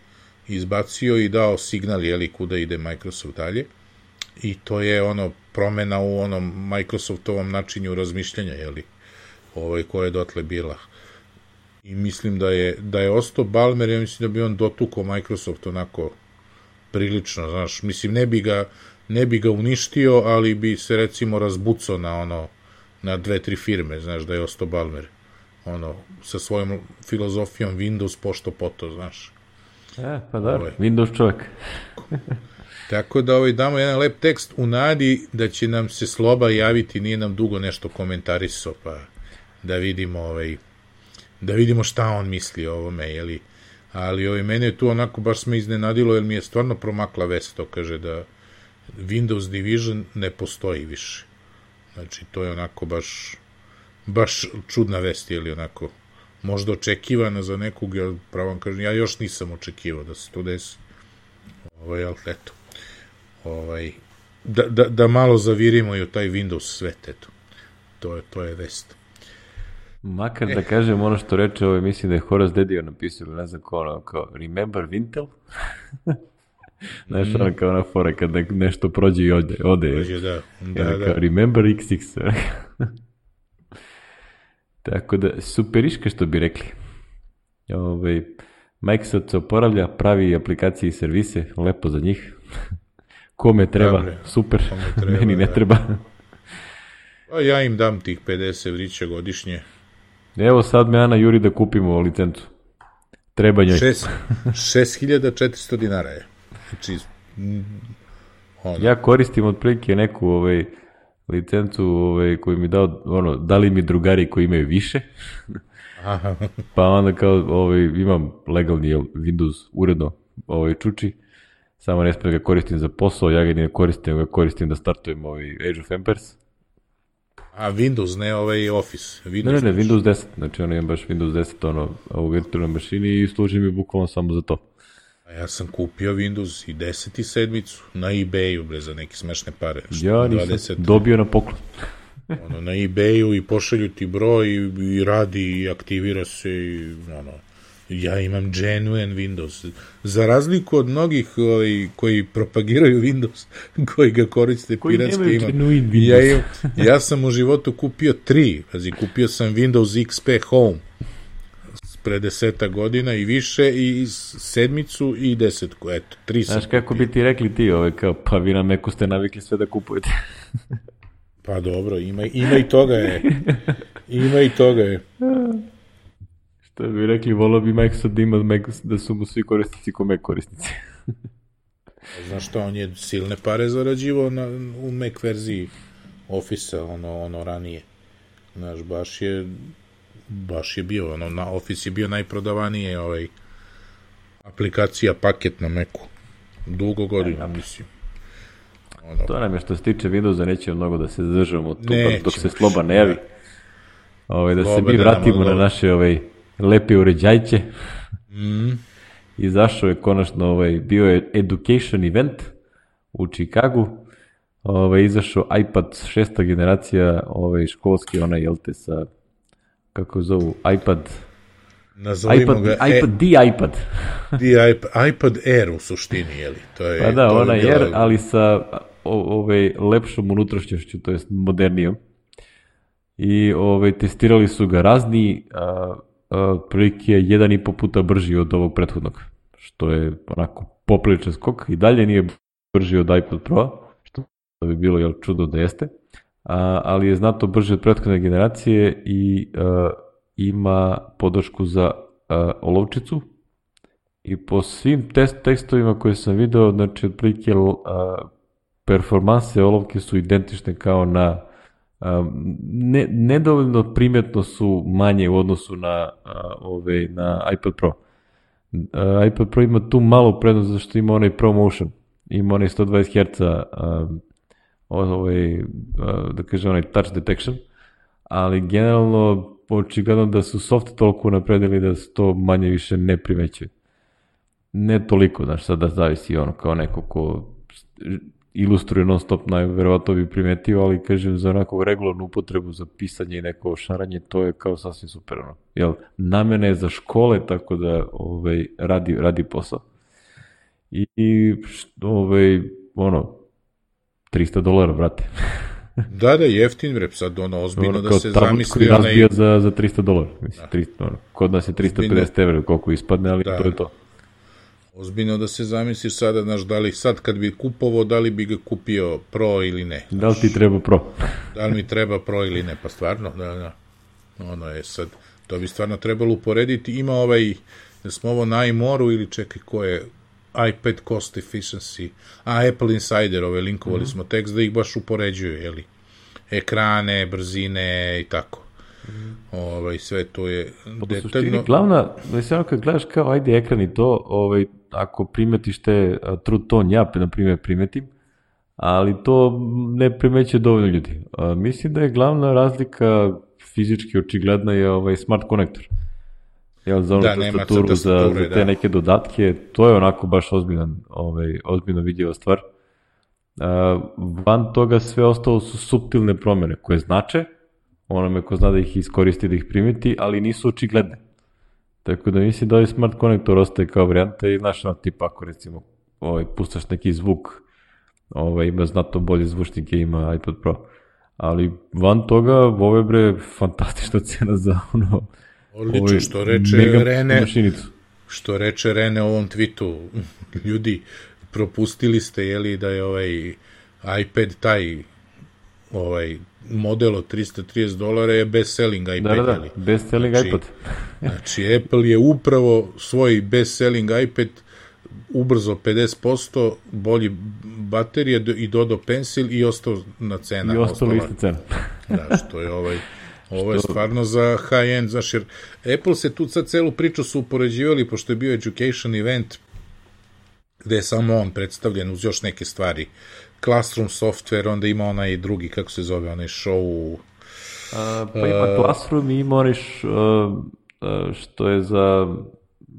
B: izbacio i dao signal, jeli, kuda ide Microsoft dalje. I to je ono promena u onom Microsoftovom načinju razmišljanja, jeli, ovaj, koja je dotle bila. I mislim da je, da je ostao Ballmer, ja mislim da bi on dotukao Microsoft onako prilično, znaš, mislim, ne bi ga, ne bi ga uništio, ali bi se recimo razbucao na ono, na dve, tri firme, znaš, da je ostao Ballmer, ono, sa svojom filozofijom Windows pošto poto, znaš.
A: E, pa da,
B: ovaj.
A: Windows čovjek.
B: Tako da ovaj, damo jedan lep tekst u nadi da će nam se Sloba javiti, nije nam dugo nešto komentarisao, pa da vidimo, ovaj, da vidimo šta on misli o ovome, jeli. Ali ovaj, mene je tu onako baš me iznenadilo, jer mi je stvarno promakla vest, to kaže da Windows Division ne postoji više. Znači, to je onako baš, baš čudna vest, jeli, onako, možda očekivana za nekog, ja pravom kažem, ja još nisam očekivao da se to desi. Ovaj, ali eto, ovaj, da, da, da malo zavirimo i u taj Windows svet, eto. To je, to je vest.
A: Makar eh. da kažem ono što reče, ovaj, mislim da je Horace Dedijo napisao, ne znam ko ono, kao, remember Wintel? Znaš, mm. ono kao ona fora, kad nešto prođe i ode. ode
B: prođe, da. da,
A: kao,
B: da.
A: Remember iks iks. Tako da, superiška što bi rekli. Ovaj, Microsoft se oporavlja, pravi aplikacije i servise, lepo za njih. Kome treba, Dobre, super, kome treba, meni ne da. treba.
B: A ja im dam tih pedeset evrića godišnje.
A: Evo sad me Ana juri da kupimo licencu. Treba njoj.
B: šest hiljada četiristo dinara je. Znači, ono.
A: Ja koristim otprilike neku ovaj, licencu ovaj, koju mi dao, ono, dali mi drugari koji imaju više.
B: Aha.
A: Pa onda kao ovaj, imam legalni jel, Windows uredno ovaj, čuči, samo ne smijem ga koristim za posao, ja ga ne koristim, ga koristim da startujem ovaj Age of Empires.
B: A Windows, ne ovaj Office. Windows
A: ne, ne, ne, Windows deset, znači ono imam baš Windows deset ono, u virtualnoj mašini i služi mi bukvalno samo za to.
B: A ja sam kupio Windows i deset i sedmicu na eBayu, bre, za neke smešne pare.
A: Ja nisam dvadeset dobio na poklon.
B: Ono, na eBayu i pošalju ti broj i, i radi i aktivira se i, ono, ja imam genuine Windows. Za razliku od mnogih ovaj, koji propagiraju Windows, koji ga koriste piratski, imam. Ja, im, ja sam u životu kupio tri, pazi, kupio sam Windows X P Home pre deseta godina i više, i sedmicu i desetku, eto, tri sam.
A: Znaš kako bi ti rekli ti, ovaj, kao, pa vi na Macu ste navikli sve da kupujete.
B: Pa dobro, ima, ima i toga je. Ima i toga je.
A: Što bi rekli, volao bi Microsoft da ima Mac, da su mu svi korisnici ko Mac korisnici.
B: Znaš što, on je silne pare zarađivao na, u Mac verziji Office-a, ono, ono ranije. Znaš, baš je baš je bio, ono, na Office je bio najprodavanije ovaj, aplikacija, paket na Macu. Dugo godina, mislim.
A: Ono, to nam je što se tiče Windowsa, neće mnogo da se zadržamo tu, dok se Sloba ne javi. Ovaj, da Sloba se mi vratimo na naše ovaj, lepe uređajće.
B: Mm.
A: Izašao je konačno, ovaj, bio je education event u Chicagu. Ovaj, izašao iPad šesta generacija, ovaj, školski, onaj, jel te, sa, kako zovu, iPad
B: nazovimo
A: iPad,
B: ga...
A: iPad,
B: e,
A: di iPad.
B: di iPad, iPad Air u suštini, je li? To je,
A: pa da,
B: to
A: ona
B: je bila...
A: Air, ali sa o, ove, lepšom unutrašnjošću, to jest modernijom. I ove, testirali su ga razni, a, a, prilike jedan i po puta brži od ovog prethodnog, što je onako popriličan skok. I dalje nije brži od iPad Pro, što bi bilo jel, čudo da jeste, a, ali je znatno brži od prethodne generacije i a, ima podršku za a, olovčicu. I po svim test tekstovima koje sam video, znači otprilike performanse olovke su identične kao na ne, nedovoljno primetno su manje u odnosu na a, ove, na iPad Pro. A, iPad Pro ima tu malu prednost zašto ima onaj ProMotion, ima onaj sto dvadeset herca a, ovaj, a, da kažem onaj touch detection, ali generalno očigledno da su soft toliko napredili da se to manje više ne primećuje. Ne toliko, znaš, sada zavisi ono kao neko ko ilustruje non stop, najverovatno bi primetio, ali kažem za onako regularnu upotrebu za pisanje i neko šaranje, to je kao sasvim super, ono. Jel, namena je za škole, tako da ovaj, radi, radi posao. I, i ovaj, ono, trista dolara, brate.
B: Da, da, jeftin vrep, sad ono, ozbiljno ono, da se zamisli.
A: Kao razbija onaj... za, za trista dolara, mislim, da. trista, ono, kod nas je trista pedeset evra koliko ispadne, ali da. To je to.
B: Ozbiljno da se zamisliš sada, znaš, da li sad kad bi kupovao, da li bi ga kupio Pro ili ne. Znaš,
A: da li ti treba Pro?
B: Da li mi treba Pro ili ne, pa stvarno, da, da. Ono je sad, to bi stvarno trebalo uporediti. Ima ovaj, da smo ovo na iMoru ili čekaj ko je, iPad Cost Efficiency, a Apple Insider, ove linkovali mm-hmm. smo tekst da ih baš upoređuju, jeli, ekrane, brzine i tako. Mm. Ovaj, sve to je
A: pa detaljno. Suštini, glavna, mislim, kad gledaš kao ajde ekran i to, ovaj, ako primetiš te True Tone, ja na primjer primetim, ali to ne primećuje dovoljno ljudi. A, mislim da je glavna razlika fizički očigledna je ovaj Smart Connector. Jel, za onu da, tastaturu, za, za te da. Neke dodatke, to je onako baš ozbiljan, ovaj, ozbiljno vidljiva stvar. A, van toga sve ostalo su suptilne promjene koje znače, onome ko zna da ih iskoristi, da ih primeti, ali nisu očigledne. Tako da mislim da ovaj Smart Connector ostaje kao varijanta i znaš, no, tipa ako recimo ovaj, pustaš neki zvuk, ovaj, ima znatno bolje zvučnike, ima iPad Pro. Ali van toga, ovo je bre fantastična cena za ono...
B: Odlično, ovaj, što reče Rene, mašinicu. Što reče Rene ovom tweetu, ljudi, propustili ste, jeli, da je ovaj iPad taj ovaj model od trista trideset dolara je best-selling iPad.
A: Da, da, da, best-selling znači, iPad.
B: Znači, Apple je upravo svoj best-selling iPad ubrzo pedeset posto, bolji baterije i dodao Pencil i ostao na cena.
A: I ostao ista cena.
B: Da, što je ovaj... Ovo je stvarno za high-end, znaš, jer Apple se tu sad celu priču su upoređivali, pošto je bio education event, gde je samo on predstavljen uz još neke stvari. Classroom software, onda ima onaj drugi, kako se zove, onaj show...
A: A, pa ima uh, Classroom i ima onaj što je za...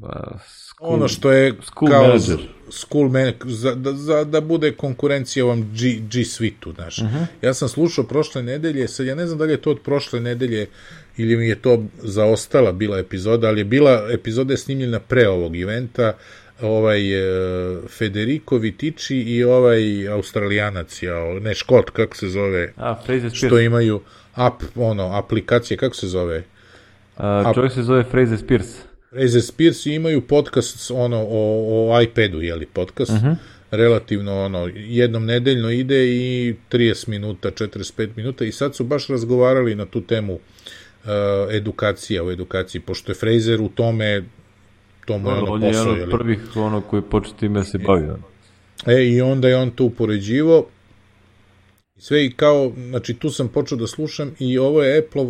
A: Uh, school,
B: ono što je
A: school
B: kao
A: manager.
B: School man, za, da, za, da bude konkurencija ovom G, G Suite-u, znaš. Uh-huh. Ja sam slušao prošle nedelje, sad ja ne znam da li je to od prošle nedelje ili mi je to zaostala bila epizoda, ali je bila epizoda je snimljena pre ovog eventa, ovaj uh, Federico Vitici i ovaj Australijanac, ja, ne Škot, kako se zove,
A: A, Fraser
B: što
A: Spears.
B: imaju ap, ono, aplikacije, kako se zove?
A: Uh, čovjek se zove Fraser Spears.
B: Fraser Spears imaju podcast ono, o, o iPadu, jeli, podcast, uh-huh. relativno ono, jednom nedeljno ide i trideset minuta, četrdeset pet minuta i sad su baš razgovarali na tu temu uh, edukacija u edukaciji, pošto je Fraser u tome to mu je ono
A: on
B: posao.
A: On je jedan od prvih ono koji počeo time se bavi.
B: E, i onda je on to upoređivo sve i kao, znači tu sam počeo da slušam i ovo je Apple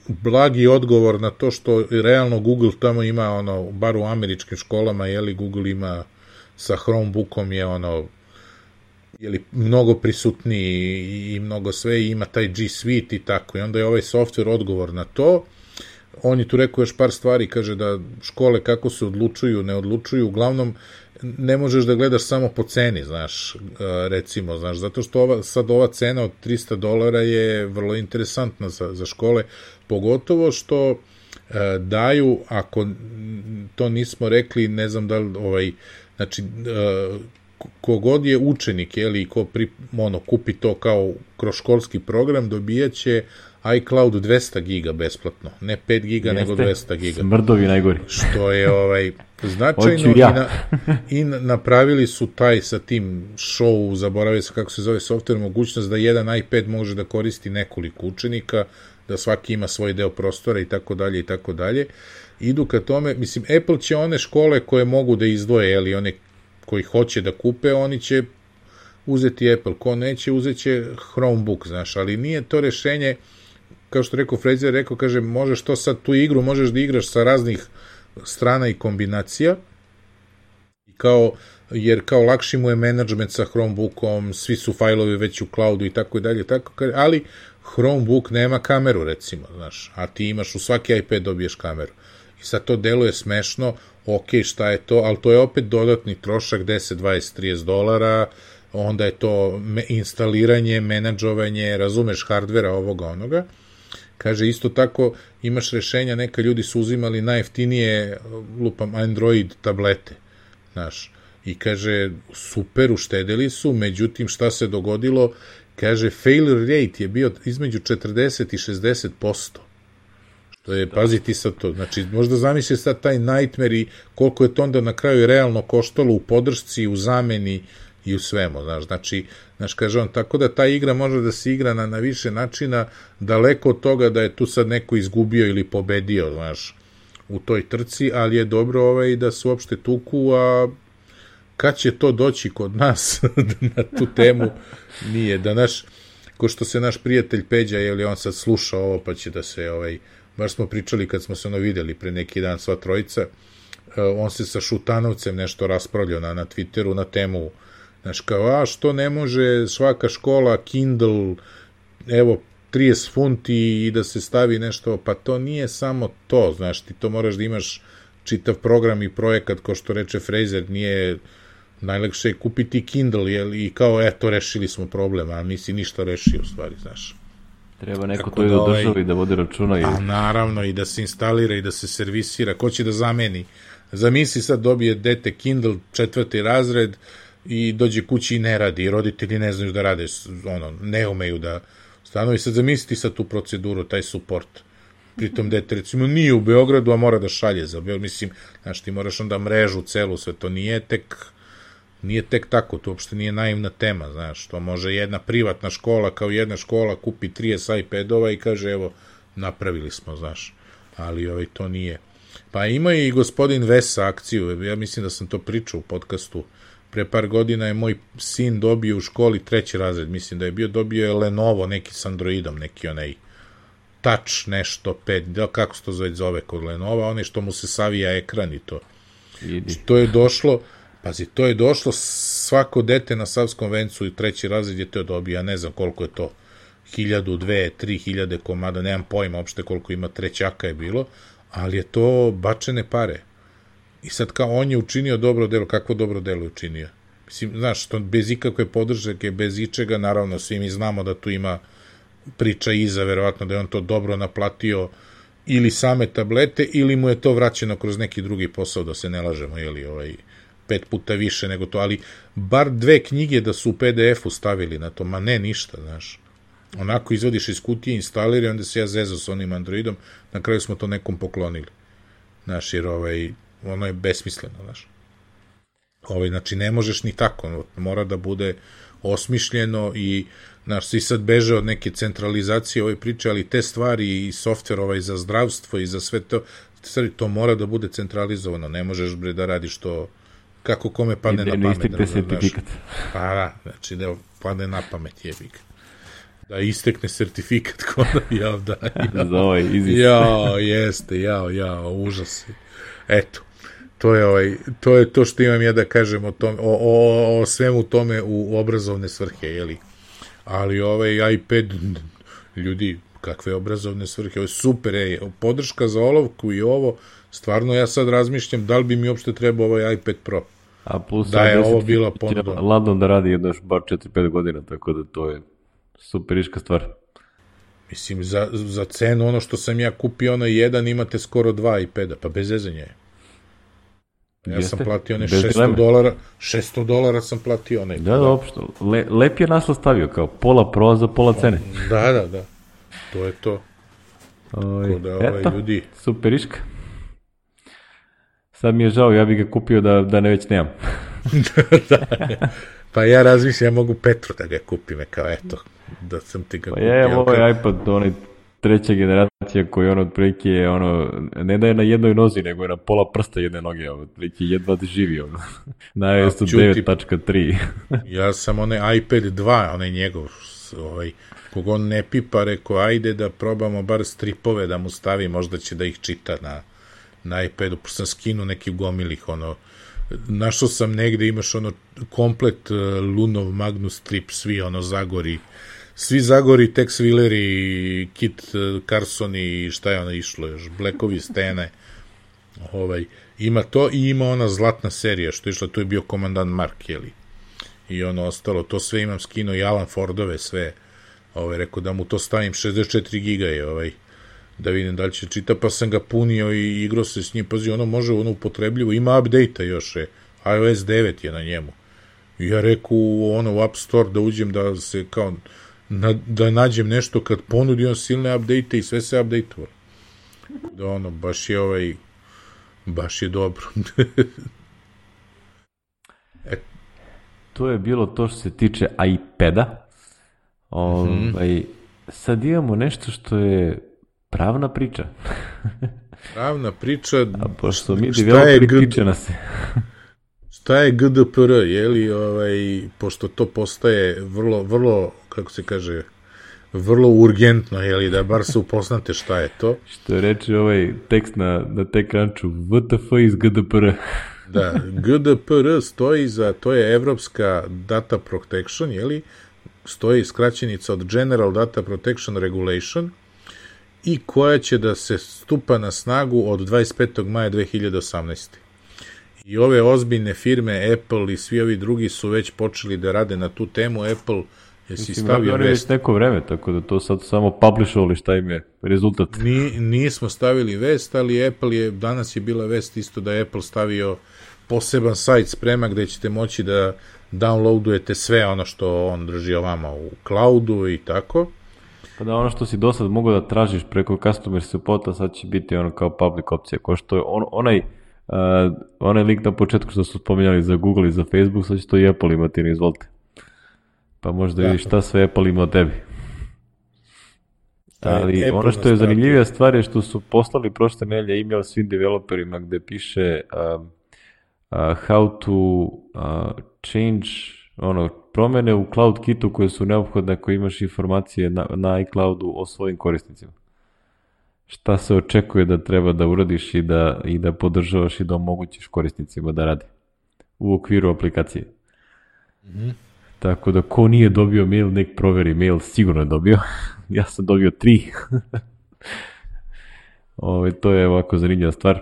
B: blagi odgovor na to što realno Google tamo ima, ono, bar u američkim školama, jeli, Google ima sa Chromebookom je, ono, jeli, mnogo prisutniji i mnogo sve, i ima taj G Suite i tako, i onda je ovaj software odgovor na to. On je tu rekao još par stvari, kaže da škole kako se odlučuju, ne odlučuju, uglavnom ne možeš da gledaš samo po ceni, znaš, recimo, znaš, zato što ova, sad ova cena od trista dolara je vrlo interesantna za, za škole, pogotovo što daju, ako to nismo rekli, ne znam da li, ovaj, znači, kogod je učenik, jeli, ko pri, ono, kupi to kao kroz školski program, dobijaće iCloud dvesta giga besplatno, ne pet giga, jeste, nego dvesta giga.
A: Smrdovi najgori.
B: Što je ovaj, značajno ja. i, na, i napravili su taj sa tim show, zaboravio se kako se zove software, mogućnost da jedan iPad može da koristi nekoliko učenika, da svaki ima svoj deo prostora i tako dalje i tako dalje. Idu ka tome, mislim, Apple će one škole koje mogu da izdvoje, ili one koji hoće da kupe, oni će uzeti Apple, ko neće, uzet će Chromebook, znaš, ali nije to rešenje, kao što rekao Fraser, rekao, kaže, možeš to sad, tu igru možeš da igraš sa raznih strana i kombinacija, kao, jer kao lakši mu je menadžment sa Chromebookom, svi su fajlovi već u cloudu i tako i dalje, tako, ali Chromebook nema kameru, recimo, znaš, a ti imaš u svaki iPad dobiješ kameru. I sad to deluje smešno, ok, šta je to, ali to je opet dodatni trošak, deset, dvadeset, trideset dolara, onda je to instaliranje, menadžovanje, razumeš, hardvera ovoga onoga. Kaže, isto tako imaš rešenja, neka ljudi su uzimali najjeftinije, lupam, Android tablete, znaš, i kaže, super, uštedeli su, međutim, šta se dogodilo, kaže, failure rate je bio između četrdeset i šezdeset posto. To je, paziti sad to, znači, možda zamisli sad taj nightmare i koliko je to onda na kraju realno koštalo u podršci, u zameni i u svemu, znaš, znači, znaš, kaže on, tako da ta igra može da se igra na, na više načina, daleko od toga da je tu sad neko izgubio ili pobedio, znaš, u toj trci, ali je dobro ovaj, da se uopšte tuku, a kad će to doći kod nas na tu temu, nije, da naš, ko što se naš prijatelj Peđa, je li on sad sluša ovo, pa će da se, ovaj, baš smo pričali kad smo se ono videli pre neki dan sva trojica, on se sa Šutanovcem nešto raspravljao na, na Twitteru na temu, znaš, kao, a što ne može svaka škola Kindle, evo, trideset funti i da se stavi nešto, pa to nije samo to, znaš, ti to moraš da imaš čitav program i projekat, ko što reče Fraser, nije najlakše je kupiti Kindle, jel, i kao, eto, rešili smo problem, a nisi ništa rešio, u stvari, znaš.
A: Treba neko to i da državi, da vodi računa. I...
B: A naravno, i da se instalira i da se servisira. Ko će da zameni? Zamisli sad dobije dete Kindle, četvrti razred, i dođe kući i ne radi, i roditelji ne znaju da rade, ono, ne umeju da stanovi. Sad zamisliti sad tu proceduru, taj support. Pritom dete, recimo, nije u Beogradu, a mora da šalje za Beograd. Mislim, znaš, ti moraš onda mrežu celu, sve to nije tek... Nije tek tako, to uopšte nije naivna tema, znaš, to može jedna privatna škola, kao jedna škola, kupi trideset iPadova i kaže, evo, napravili smo, znaš, ali ovaj, to nije. Pa ima i gospodin Vesa akciju, ja mislim da sam to pričao u podcastu, pre par godina je moj sin dobio u školi treći razred, mislim da je bio, dobio je Lenovo, neki s Androidom, neki onaj Touch nešto, pet, kako se to zove, zove kod Lenova, onaj što mu se savija ekran i to. Idi. To je došlo... Pazi, to je došlo svako dete na Savskom vencu i treći razred je to dobio, ja ne znam koliko je to, hiljadu, dve, tri hiljade komada, nemam pojma uopšte koliko ima, trećaka je bilo, ali je to bačene pare. I sad kao on je učinio dobro delo, kakvo dobro delo je učinio? Mislim, znaš, to bez ikakve podržake, bez ičega, naravno svi mi znamo da tu ima priča iza, verovatno da je on to dobro naplatio ili same tablete, ili mu je to vraćeno kroz neki drugi posao, da se ne lažemo, jeli ovaj... pet puta više nego to, ali bar dve knjige da su u P D F-u stavili na to, ma ne ništa, znaš. Onako izvodiš iz kutije, instaliri, onda se ja zezao s onim Androidom, na kraju smo to nekom poklonili. Znaš, jer ovaj, ono je besmisleno, znaš. Ovaj, znači, ne možeš ni tako, mora da bude osmišljeno i, znaš, svi sad beže od neke centralizacije ove priče, ali te stvari i softver ovaj za zdravstvo i za sve to, stvari, to mora da bude centralizovano, ne možeš, bre, da radiš to kako kome padne na pamet.
A: Istekne sertifikat.
B: Pa da, znači da padne na pamet, jebik. Da istekne sertifikat ko da ja da.
A: Za ovaj izvist.
B: Jao, jeste, jao, jao, užas. Eto, to je, ovaj, to je to što imam ja da kažem o, tom, o, o, o svemu tome u obrazovne svrhe, jeli. Ali ovaj iPad, ljudi, kakve obrazovne svrhe, ovo je super, ej, podrška za olovku i ovo, stvarno ja sad razmišljam da li bi mi uopšte trebao ovaj iPad Pro.
A: A plus
B: da je ovo bila ponuda.
A: Ladno da radi jedno još bar četiri pet godina, tako da to je superiška stvar.
B: Mislim, za, za cenu ono što sam ja kupio, ono jedan, imate skoro dva iPada, pa bez zezanja je. Ja Jeste? sam platio one šesto dolara, šesto dolara sam platio onaj.
A: Da, da, opšto. Le, lep je naslov stavio, kao pola pro za pola cene.
B: Da, da, da. To je to.
A: Oj, da, ovaj, eto, ljudi. Superiška. Sad mi je žao, ja bih ga kupio da, da ne već nemam.
B: Da. Pa ja razmišljam, ja mogu Petru da ga kupim, kao eto, da sam ti ga
A: kupio. Pa je, ovo je iPad, onaj treća generacija koji on otprilike je ono, ne da je na jednoj nozi, nego je na pola prsta jedne noge, otprilike jedva da živi ono, na i o es devet tačka tri.
B: Ja sam onaj iPad dva, onaj njegov, ovaj, kog on ne pipa, rekao, ajde da probamo bar stripove da mu stavi, možda će da ih čita na, na iPadu, pa sam skinu neki gomilih, ono, našao sam negde, imaš ono komplet uh, Lunov Magnus strip, svi ono Zagori, svi Zagori, Tex Wheeleri, Kit uh, Carson i šta je ono išlo još, Blackovi Stene, ovaj, ima to i ima ona zlatna serija što je išla, to je bio Komandant Mark, jeli, i ono ostalo, to sve imam skino i Alan Fordove sve, ovaj, rekao da mu to stavim, šezdeset četiri giga je, ovaj, da vidim da li će čita, pa sam ga punio i igrao se s njim, pazi, ono može, ono upotrebljivo, ima update-a još, je, i o es devet je na njemu, i ja reku, ono, u App Store da uđem da se, kao, na, da nađem nešto kad ponudi on silne update-a i sve se update-ova, da ono, baš je ovaj, baš je dobro.
A: e. To je bilo to što se tiče iPada, ovaj, mm-hmm. Sad imamo nešto što je pravna priča.
B: Pravna priča.
A: A pošto mi developeri tiče nas se.
B: Šta je ge de pe er, je li, ovaj, pošto to postaje vrlo, vrlo, kako se kaže, vrlo urgentno, je li, da bar se upoznate šta je to.
A: Što je reči ovaj tekst na, na TechCrunchu, ve te efe iz ge de pe er.
B: Da, ge de pe er stoji za, to je Evropska Data Protection, je li, stoji skraćenica od General Data Protection Regulation, i koja će da se stupa na snagu od dvadeset petog maja dve hiljade osamnaeste. I ove ozbiljne firme, Apple i svi ovi drugi su već počeli da rade na tu temu. Apple je si stavio vest.
A: Mislim, neko vreme, tako da to sad samo publishovali šta im je rezultat.
B: Ni, nismo stavili vest, ali Apple je, danas je bila vest isto da je Apple stavio poseban sajt sprema gde ćete moći da downloadujete sve ono što on drži ovama u cloudu i tako.
A: Pa da, ono što si do sad mogao da tražiš preko customer supporta, sad će biti ono kao public opcija, ko što je on, onaj, uh, onaj link na početku što su spominjali za Google i za Facebook, sad će to i Apple imati, ne izvolite. Pa možda da vidiš šta sve Apple ima od tebi. Ali Apple ono što je zanimljivija stvar je što su poslali prošle nedelje e-mail svim developerima gde piše uh, uh, how to uh, change ono, promene u Cloud Kitu koje su neophodne ako imaš informacije na, na iCloudu o svojim korisnicima. Šta se očekuje da treba da uradiš i da, i da podržavaš i da omogućiš korisnicima da radi u okviru aplikacije. Mm-hmm. Tako da ko nije dobio mail, nek proveri mail, sigurno je dobio. Ja sam dobio tri. Ove, to je ovako zanimljiva stvar.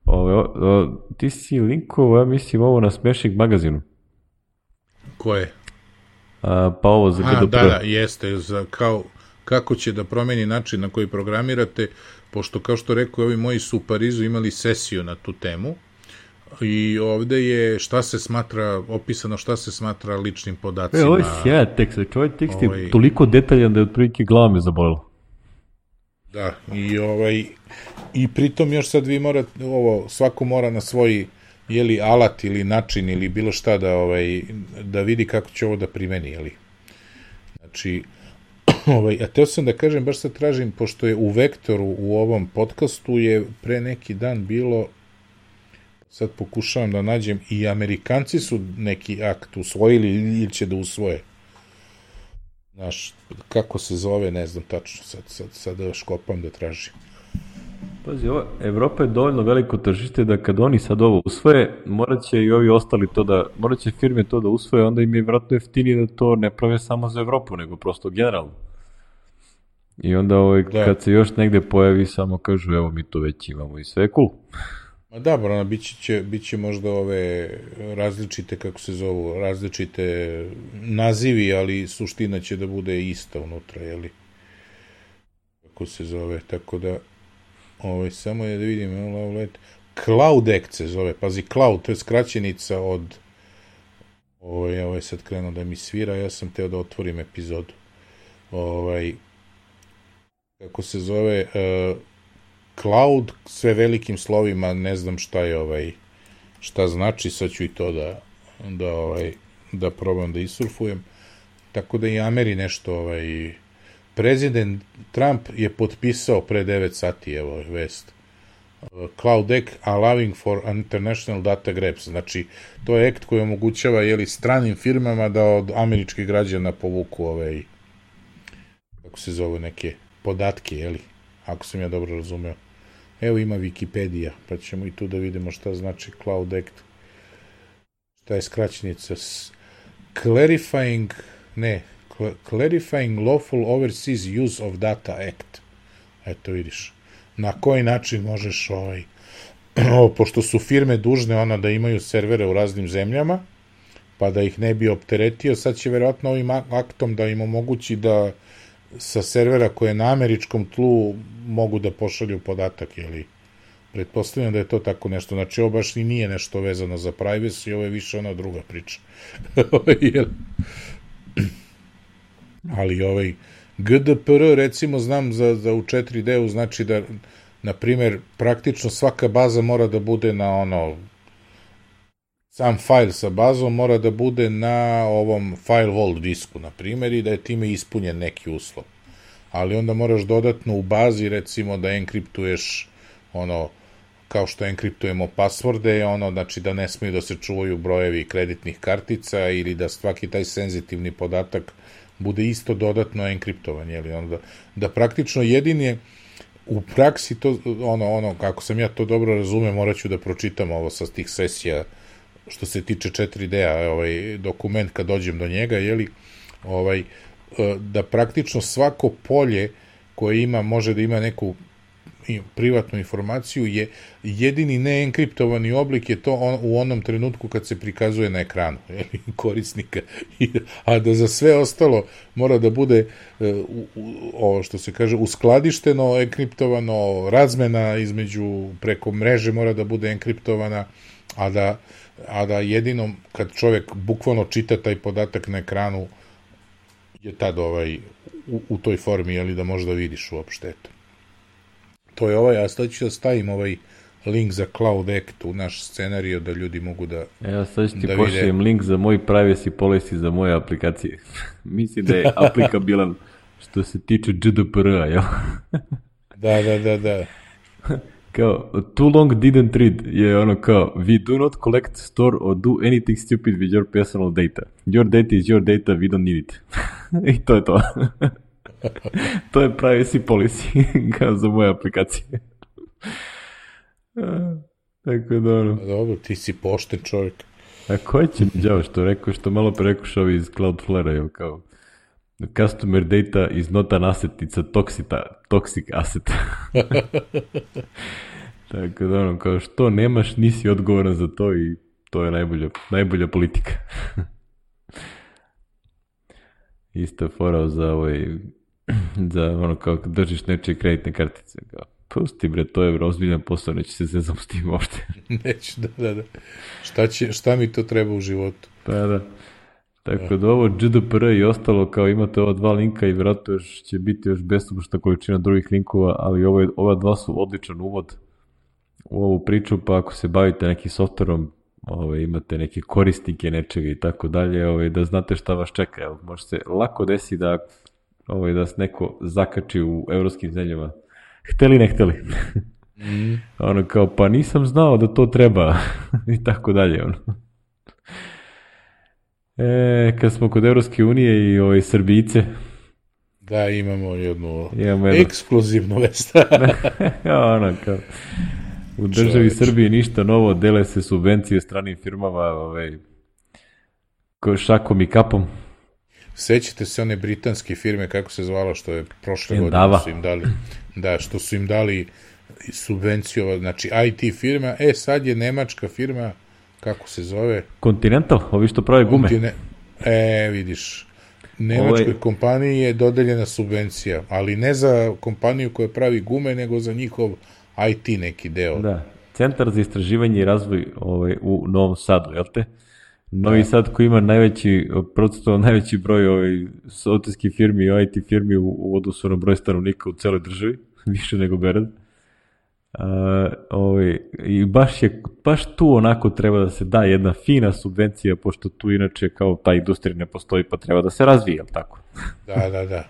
A: Ove, o, o, ti si linkovo, ja mislim, ovo na Smashing magazinu.
B: Koje?
A: A, pa ovo za
B: A, da, da, jeste, za, kao, kako će da promeni način na koji programirate, pošto kao što rekao, ovi moji su u Parizu imali sesiju na tu temu i ovde je šta se smatra, opisano šta se smatra ličnim podacima. E,
A: ovo je sjajan tekst, ovaj tekst je ovaj, toliko detaljan da je otprilike glava me zabolila.
B: Da, i ovaj, i pritom još sad vi morate, ovo, svako mora na svoj jeli alat ili način ili bilo šta da ovaj da vidi kako će ovo da primeni, jeli. Znači, ovaj, a teo sam da kažem, baš sad tražim, pošto je u Vektoru u ovom podcastu je pre neki dan bilo, sad pokušavam da nađem, i Amerikanci su neki akt usvojili ili će da usvoje. Znaš, kako se zove, ne znam tačno, sad, sad, sad da škopam da tražim.
A: Pazi, ovo, Evropa je dovoljno veliko tržište da kad oni sad ovo usvoje, morat će i ovi ostali to da, morat će firme to da usvoje, onda im je vjerojatno jeftinije da to ne prave samo za Evropu, nego prosto generalno. I onda ovaj, da. Kad se još negde pojavi, samo kažu, evo mi to već imamo i sve je cool.
B: Ma da, brano, bit će, bit će možda ove različite, kako se zovu, različite nazivi, ali suština će da bude ista unutra, jeli? kako se zove, tako da, ovaj, samo je da vidim, Love Letter, Cloud Act se zove, pazi, Cloud, to je skraćenica od, ovaj, ovaj sad krenuo da mi svira, ja sam teo da otvorim epizodu, ovaj, kako se zove, uh, Cloud, sve velikim slovima, ne znam šta je, ovaj, šta znači, sad ću i to da, da, ovaj, da probam da isurfujem, tako da i Ameri nešto, ovaj, prezident Trump je potpisao pre devet sati, evo, vest, Cloud Act allowing for international data grabs, znači to je akt koji omogućava, jeli, stranim firmama da od američkih građana povuku ovaj, kako se zove, neke podatke, jeli, ako sam ja dobro razumeo. Evo ima Wikipedia, pa ćemo i tu da vidimo šta znači Cloud Act, šta je skraćenica, clarifying, ne, clarifying lawful overseas use of data act, eto vidiš, na koji način možeš, ovaj, pošto su firme dužne ona da imaju servere u raznim zemljama, pa da ih ne bi opteretio, sad će verovatno ovim aktom da im omogući da sa servera koje je na američkom tlu mogu da pošalju podatak, jeli, pretpostavljam da je to tako nešto, znači ovo baš i nije nešto vezano za privacy, ovo je više ona druga priča. Ali ovaj G D P R, recimo, znam za, za u četiri D-u, znači da, na primer, praktično svaka baza mora da bude na ono, sam fajl sa bazom mora da bude na ovom file hold disku, na primjer, i da je time ispunjen neki uslov. Ali onda moraš dodatno u bazi, recimo, da enkriptuješ, ono, kao što enkriptujemo pasvorde, ono, znači da ne smiju da se čuvaju brojevi kreditnih kartica ili da svaki taj senzitivni podatak bude isto dodatno enkriptovan, jeli, onda, da praktično jedini u praksi to, ono, ono, kako sam ja to dobro razumem, morat ću da pročitam ovo sa tih sesija, što se tiče četiri D-a, ovaj, dokument kad dođem do njega, jeli, ovaj, da praktično svako polje koje ima, može da ima neku privatnu informaciju, je jedini neenkriptovani oblik je to on, u onom trenutku kad se prikazuje na ekranu, jeli, korisnika, a da za sve ostalo mora da bude u, u, ovo što se kaže uskladišteno, enkriptovano, razmena između preko mreže mora da bude enkriptovana, a da, a da jedino kad čovjek bukvalno čita taj podatak na ekranu je tad ovaj, u, u toj formi, jeli, da možda vidiš uopšte, eto. To je ovaj, a sad ću da stavim ovaj link za Cloud Act u naš scenariju da ljudi mogu da
A: Evo sad ću ti pošaljem link za moj privacy policy za moje aplikacije. Mislim da je aplikabilan što se tiče G D P R-a, jel?
B: Da, da, da, da.
A: Kao, too long didn't read je ono kao, we do not collect, store or do anything stupid with your personal data. Your data is your data, we don't need it. I to je to. To je privacy policy kao za moje aplikacije. Tako da ono.
B: Dobro, ti si pošten čovjek.
A: A ko će mi djavo što rekao, što malo pre rekuš ovi iz Cloudflare-a, jel kao customer data is not an asset, it's a toxic, toxic asset. Tako da ono, kao što nemaš, nisi odgovoran za to i to je najbolja, najbolja politika. Ista fora za ovaj, za ono kao držiš nečije kreditne kartice, kao pusti bre, to je ozbiljan posao, neće se zezam s tim uopšte.
B: Neće, da, da, da. Šta, će, šta mi to treba u životu?
A: Pa da. Tako da ovo G D P R i ostalo, kao imate ova dva linka i vjerojatno još će biti još besomučna količina drugih linkova, ali ovo je, ova dva su odličan uvod u ovu priču, pa ako se bavite nekim softverom, ovaj, imate neke korisnike nečega i tako dalje, ovaj, da znate šta vas čeka. Evo, može se lako desi da, ovaj, da se neko zakači u evropskim zemljama. Hteli ne hteli. Mm. Ono kao, pa nisam znao da to treba. I tako dalje. Ono. E, kad smo kod Evropske unije i ovaj, Srbijice.
B: Da, imamo jednu
A: imamo jednu...
B: ekskluzivnu vest.
A: Ono kao... U državi Čovječ. Srbiji ništa novo, dele se subvencije stranim firmama, ovaj, šakom i kapom.
B: Sećate se one britanske firme, kako se zvala, što je prošle godine su im dali, da, što su im dali subvenciju, znači I T firma, e sad je nemačka firma, kako se zove?
A: Continental, ovi što prave gume.
B: Contine... E, vidiš, Nemačkoj ovaj... kompaniji je dodeljena subvencija, ali ne za kompaniju koja pravi gume, nego za njihov I T neki deo.
A: Da, Centar za istraživanje i razvoj ovaj, u Novom Sadu, jel te? Novi da. Sad koji ima najveći, procentualno najveći broj ovaj, softverskih firmi i I T firmi u, u odnosu na broj stanovnika u celoj državi, više nego Beograd. Uh, ovaj, I baš, je, baš tu onako treba da se da jedna fina subvencija, pošto tu inače kao ta industrija ne postoji, pa treba da se razvije, jel tako?
B: Da, da, da.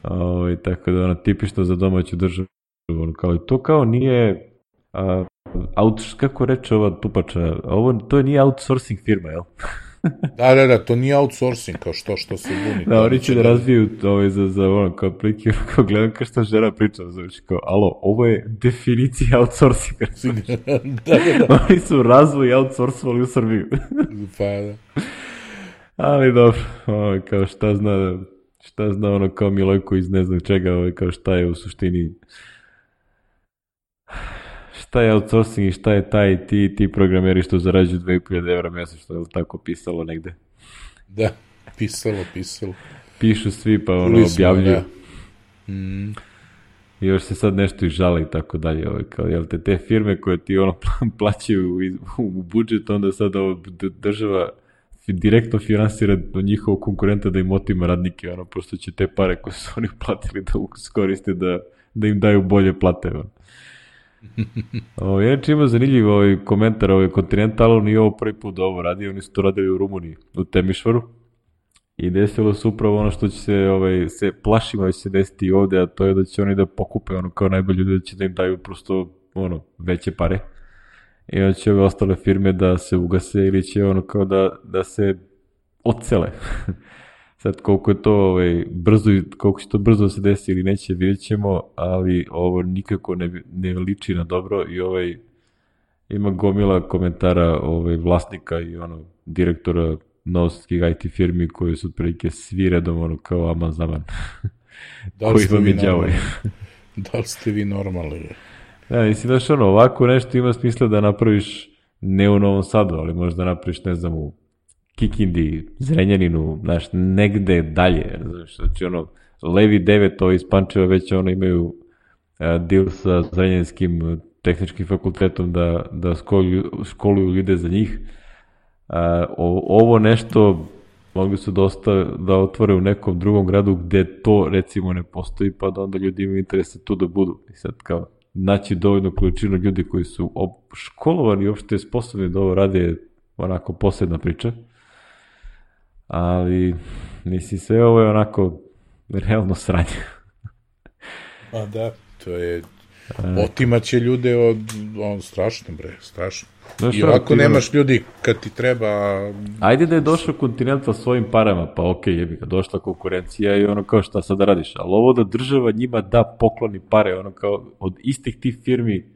A: Ovaj, tako da ono, tipično za domaću državu, kao i to kao nije uh, out, kako reče ova tupača, ovo to nije outsourcing firma, jel?
B: Da, da, da, to nije outsourcing, kao što, što se buni.
A: Da, oni će da razviju ovaj, za, za ono, kao pliki, kao gledam kao što žena priča, znači kao, alo, ovo je definicija outsourcinga.
B: da, da, da.
A: Oni su razvoj outsourcovali u Srbiju.
B: Pa, da.
A: Ali dobro, ovaj, kao šta zna, šta zna ono kao Milojko iz ne znam čega, ovaj, kao šta je u suštini, šta je outsourcing i šta je taj ti, ti programeri što zarađuju dve hiljade evra mjesečno, je li tako pisalo negde?
B: Da, pisalo, pisalo.
A: Pišu svi pa ono Lismo, objavljuju.
B: Da. Mm.
A: I još se sad nešto i žale i tako dalje. Ovaj, kao, jel te te firme koje ti ono plaćaju u, u budžet, onda sad ovo država direktno finansira do njihovog konkurenta da im otima radnike, ono, pošto će te pare koje su oni platili da iskoriste da, da im daju bolje plate, ono. Ovo, inače ima zanimljiv ovaj komentar ovaj Continental, on nije ovo prvi put da ovo radi, oni su to radili u Rumuniji, u Temišvaru i desilo se upravo ono što će se, ovaj, se plašimo da će se desiti i ovde, a to je da će oni da pokupe ono kao najbolji ljudi, da će da im daju prosto ono, veće pare i onda će ove ostale firme da se ugase ili će ono kao da, da se odsele. Sad koliko je to ovaj, brzo, koliko će to brzo se desi ili neće, vidjet ćemo, ali ovo nikako ne, ne liči na dobro i ovaj, ima gomila komentara ovaj, vlasnika i ono, direktora novosadskih I T firmi koji su otprilike svi redom ono, kao aman zaman.
B: Da koji vam je djavoj. Da li ste vi normalni?
A: Da, mislim da što ono, ovako nešto ima smisla da napraviš ne u Novom Sadu, ali možda napraviš, ne znam, u Kikindi, Zrenjaninu, znaš, negde dalje, znaš, znači ono, Levi devet, ovo iz Pančeva već ono imaju uh, deal sa Zrenjanskim tehničkim fakultetom da, da školuju, školuju ljude za njih. Uh, ovo nešto mogli su dosta da otvore u nekom drugom gradu gde to recimo ne postoji, pa da onda ljudi imaju interesa tu da budu. I sad kao, naći dovoljno količinu ljudi koji su školovani i uopšte sposobni da ovo rade, onako posebna priča. Ali, mislim, sve ovo je onako realno sranje.
B: A da, to je, otimaće ljude od, on, strašno bre, strašno. Znaš, i ovako nemaš ono... ljudi kad ti treba...
A: Ajde da je došao Continental svojim parama, pa okej, okay, jebi ga, došla konkurencija i ono kao šta sad da radiš, ali ovo da država njima da pokloni pare, ono kao od istih tih firmi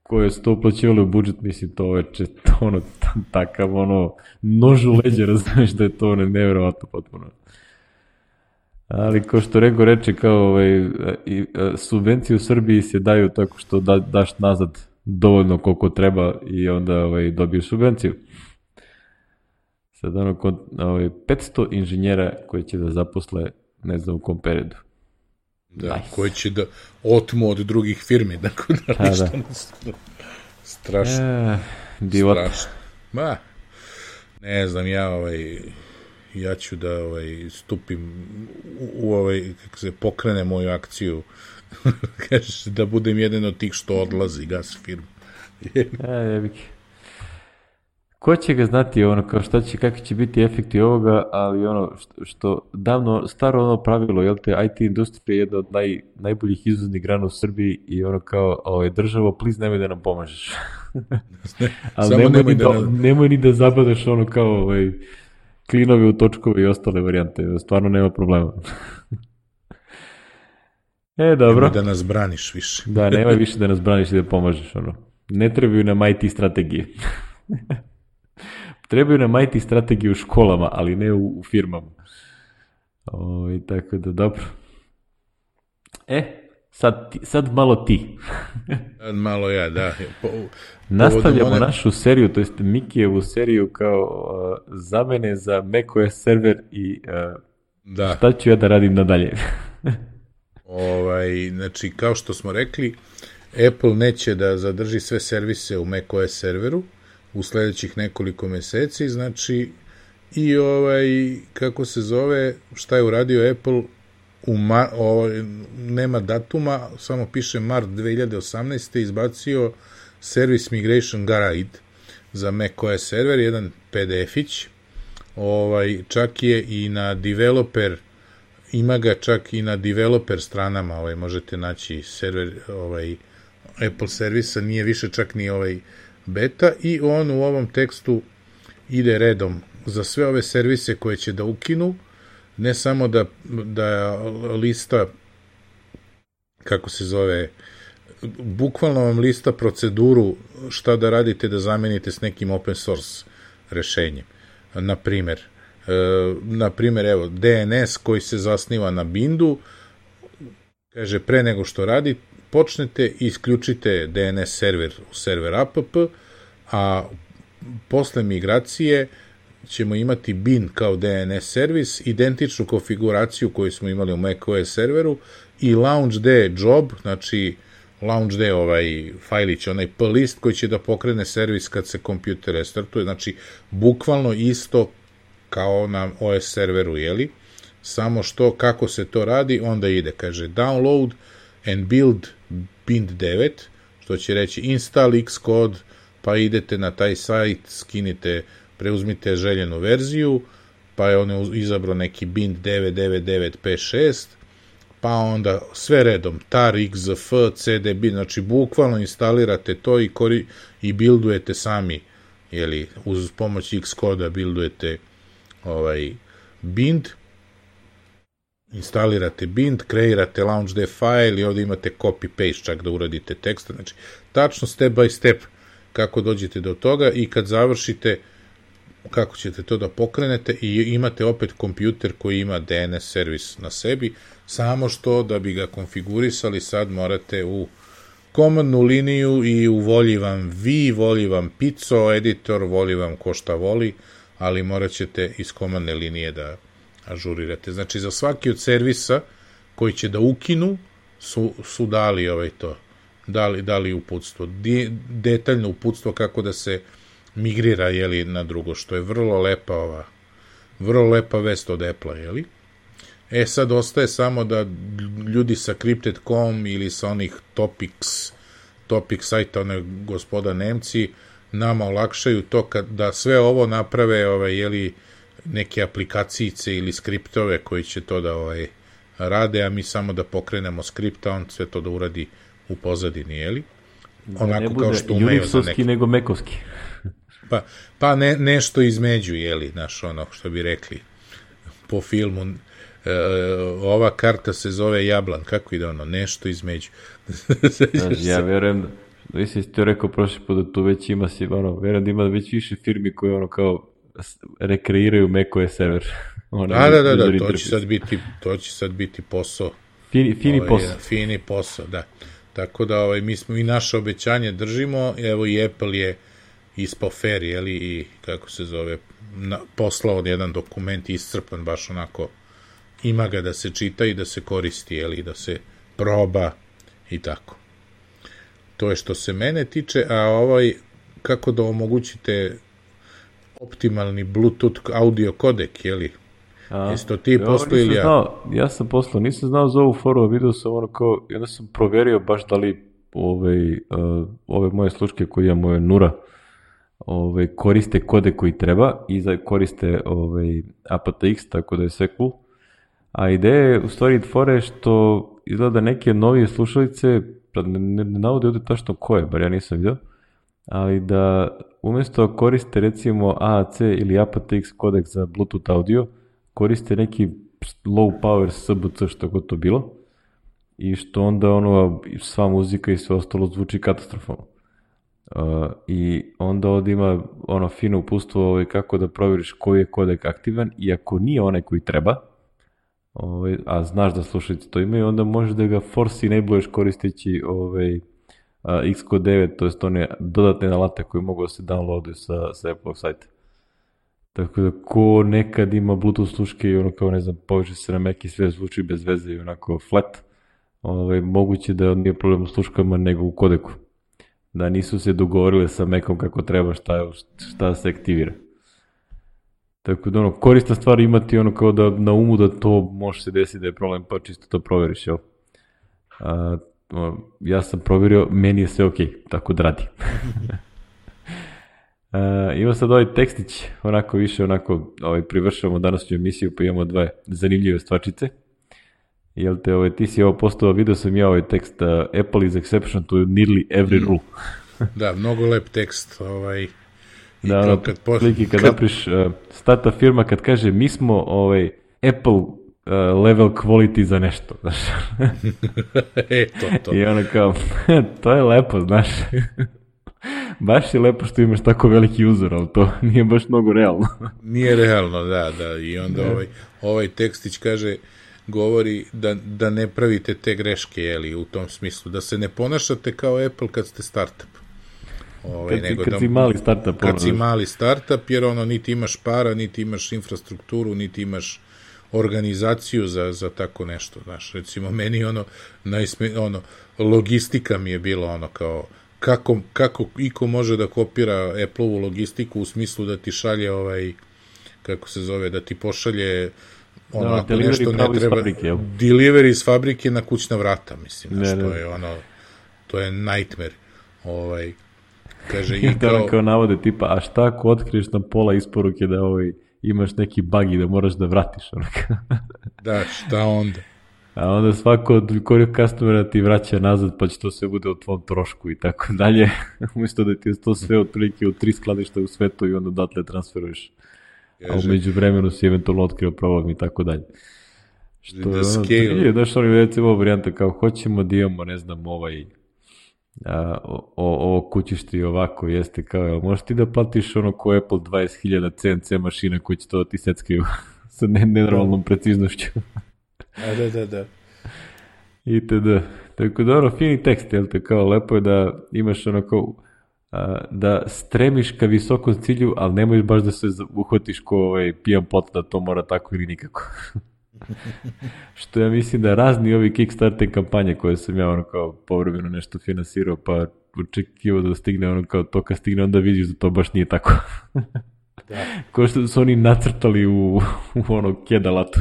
A: koje su to uplaćivali u budžet, mislim, to je često, ono, takav, ono, nož u leđe, razumiješ da je to, ono, nevjerovatno potpuno. Ali, kao što Rego reče, kao, ovaj, i, subvencije u Srbiji se daju tako što da, daš nazad dovoljno koliko treba i onda, ovaj, dobiješ subvenciju. Sad, ono, kod, ovaj, petsto inženjera koji će da zaposle, ne znam u kom periodu.
B: Da, nice. Koji će da otmu od drugih firmi, dakle da ha, ništa da. Ne... Strašno.
A: E, divot.
B: Strašno. Ma, ne znam, ja ovaj, ja ću da ovaj, stupim u, u ovaj, kako se pokrene moju akciju, kažeš, da budem jedan od tih što odlazi, gas firmu.
A: e, jebik. Ko će ga znati ono, kao šta će, kakvi će biti efekti ovoga, ali ono što, što davno, staro ono pravilo, jel te, I T industrija je jedna od naj, najboljih izvoznih grana u Srbiji i ono kao, ovaj, državo, please nemoj da nam pomažeš. ali nemoj, nemoj, ni da, nam... nemoj ni da zabadaš ono kao ovaj, klinove u točkove i ostale varijante, stvarno nema problema. e, dobro.
B: Nemoj da nas braniš više.
A: da, nemoj više da nas braniš i da pomažeš, ono. Ne trebaju nam I T strategije. Trebaju nam I T strategije u školama, ali ne u, u firmama. O, i tako da, dobro. E, sad, ti, sad malo ti.
B: Sad malo ja, da. Po,
A: Nastavljamo one... našu seriju, to jest Mikijevu seriju kao uh, zamene za macOS server i uh,
B: Da.
A: Šta ću ja da radim nadalje?
B: Ovaj, znači, kao što smo rekli, Apple neće da zadrži sve servise u macOS serveru u sledećih nekoliko meseci, znači, i ovaj, kako se zove, šta je uradio Apple, u ma, ovaj, nema datuma, samo piše mart dve hiljade osamnaeste. izbacio Service Migration Guide za macOS server, jedan P D F-ić, ovaj, čak je i na developer, ima ga čak i na developer stranama, ovaj, možete naći server ovaj, Apple servisa, nije više čak ni ovaj beta, i on u ovom tekstu ide redom za sve ove servise koje će da ukinu, ne samo da, da lista, kako se zove, bukvalno vam lista proceduru šta da radite da zamenite s nekim open source rešenjem. Na primer, e, na primer, evo, D N S koji se zasniva na bindu, kaže, pre nego što radi, počnete, isključite D N S server u server app, a posle migracije ćemo imati bin kao D N S servis, identičnu konfiguraciju koju smo imali u macOS serveru, i launchd job, znači launchd ovaj fajlić, onaj plist koji će da pokrene servis kad se kompjuter restartuje, znači bukvalno isto kao na O S serveru, jeli? Samo što, kako se to radi, onda ide, kaže, download and build bind devet, što će reći install Xcode, pa idete na taj sajt, skinite, preuzmite željenu verziju, pa je on izabrao neki bind devet devet devet P šest, pa onda sve redom, tar, xzf, cdb, znači bukvalno instalirate to i, kori, i buildujete sami, jeli, uz pomoć Xcode-a buildujete ovaj bind, instalirate bind, kreirate launchd file i ovdje imate copy-paste čak da uradite tekst, znači tačno step by step kako dođete do toga, i kad završite kako ćete to da pokrenete i imate opet kompjuter koji ima D N S servis na sebi, samo što da bi ga konfigurisali sad morate u komandnu liniju i u volji vam vi, volji vam Pizzo, editor, volji vam ko šta voli, ali morat ćete iz komandne linije da ažurirate. Znači, za svaki od servisa koji će da ukinu su, su dali ovaj to, dali, dali uputstvo, Di, detaljno uputstvo kako da se migrira, jeli, na drugo, što je vrlo lepa ova, vrlo lepa vest od Apple-a, jeli? E, sad ostaje samo da ljudi sa Crypted dot com ili sa onih Topics, Topic sajta, one gospoda Nemci, nama olakšaju to kad, da sve ovo naprave, ovaj, jeli, neke aplikacijice ili skriptove koji će to da ovaj, rade, a mi samo da pokrenemo skripta, on sve to da uradi u pozadini, jeli?
A: Onako ne kao što umeju za neki. Nego mekovski.
B: Pa, pa ne, nešto između, jeli, znaš, ono što bi rekli po filmu, e, ova karta se zove Jablan, kako ide ono, nešto između.
A: Znaš, ja verujem, vi si ti rekao prošli put da tu već ima, si, ono, verujem da ima već više firmi koje ono kao rekreiraju macOS server.
B: Ono, da, da, da, da, to će sad biti, to će sad biti posao.
A: Fini, fini ovaj, posao.
B: Fini posao, da. Tako da ovaj, mi smo i naše obećanje držimo, evo i Apple je ispao fair, jeli, i kako se zove, na, poslao jedan dokument iscrpan, baš onako, ima ga da se čita i da se koristi, jeli, da se proba i tako. To je što se mene tiče, a ovaj, kako da omogućite optimalni Bluetooth audio kodek, jeli? Jesi to ti poslao ili ja?
A: Znao, ja sam poslao, nisam znao za ovu foru, vidio sam ono kao, onda sam proverio baš da li ove, uh, ove moje sluške koje imam, moje Nura, ove, koriste kode koji treba i za, koriste ove, A P T X, tako da je sve cool. A ideja je u stvari fore što izgleda neke novije slušalice, ne, ne, ne navode ovdje tačno koje, bar ja nisam vidio, ali da umjesto koriste recimo A A C ili A P T X kodek za Bluetooth audio, koriste neki low power S B C, što god to bilo, i što onda ono, sva muzika i sve ostalo zvuči katastrofalno. Uh, I onda ovdje ima ono fino uputstvo ovaj, kako da provjeriš koji je kodek aktivan, i ako nije onaj koji treba, ovaj, a znaš da slušalice to imaju, onda možeš da ga force enabluješ koristeći ovaj, uh, Xcode devet, to jest one dodatne alate koje mogu da se downloaduju sa, sa Apple sajta. Tako da ko nekad ima Bluetooth sluške i ono kao ne znam, poveže se na Mac i sve zvuči bez veze i onako flat, ovaj, moguće da nije problem u sluškama nego u kodeku. Da nisu se dogovorile sa Macom kako treba šta, šta se aktivira. Tako da ono, korisna stvar imati ono kao da na umu da to može se desiti da je problem, pa čisto to proveriš, jel? A, ja sam proverio, meni je sve okej, okay, tako da radi. Uh, ima sad ovaj tekstić, onako više, onako, ovaj, privršavamo današnju emisiju, pa imamo dve zanimljive stvarčice. Jel te, ovaj, ti si ovo postao, vidio sam ja ovaj tekst, uh, Apple is exception to nearly every rule.
B: Da, mnogo lep tekst, ovaj, i
A: da, ono, kad, pos... kad, kad napriš, uh, stata firma kad kaže, mi smo, ovaj, Apple uh, level quality za nešto, znaš.
B: e, to, to.
A: I ono kao, to je lepo, znaš. Baš je lepo što imaš tako veliki uzor, ali to nije baš mnogo realno.
B: Nije realno, da, da. I onda ovaj, ovaj tekstić kaže, govori da, da ne pravite te greške, jeli, u tom smislu, da se ne ponašate kao Apple kad ste startup. Ovaj,
A: kad,
B: nego
A: kad
B: da,
A: si mali startup.
B: Kad ono, si mali startup, jer ono, niti imaš para, niti imaš infrastrukturu, niti imaš organizaciju za, za tako nešto, znaš. Recimo, meni ono, najsme, ono, logistika mi je bila ono kao, Kako, kako iko može da kopira Apple-ovu logistiku u smislu da ti šalje ovaj, kako se zove, da ti pošalje ono,
A: no,
B: ako nešto ne treba,
A: fabrike,
B: delivery iz fabrike na kućna vrata, mislim,
A: ne,
B: znaš,
A: ne.
B: to je ono, to je nightmare, ovaj, kaže,
A: i
B: kao...
A: da kao navode tipa, a šta ako otkriješ na pola isporuke da ovaj, imaš neki bug i da moraš da vratiš, onaka.
B: Da, šta onda?
A: A onda svako od korijeg customera ti vraća nazad, pa će to sve bude o tvom trošku i tako dalje. Umjesto da ti je to sve otprilike u tri skladišta u svetu i onda odatle transferuješ. Ježe. A umeđu vremenu si eventualno otkrio problem i tako dalje. Što je ono, je, znaš, oni recimo varijanta kao hoćemo da imamo, ne znam, ovaj a, o, ovo kućište i ovako jeste kao, jel, možeš ti da platiš ono ko Apple dvadeset hiljada C N C mašina koji će to da ti seckaju sa nenormalnom preciznošću.
B: A, da, da, da.
A: Itd. Tako da ono, fini tekst, jel te, kao lepo je da imaš ono kao, a, da stremiš ka visokom cilju, ali nemojš baš da se uhvatiš ko ovaj, pijan pot da to mora tako ili nikako. Što ja mislim da razni ovi Kickstarter kampanje koje sam ja ono kao povremeno nešto finansirao, pa očekivao da stigne ono kao to kad stigne, onda vidiš da to baš nije tako. Da. Ko što su oni nacrtali u, u ono kedalatu.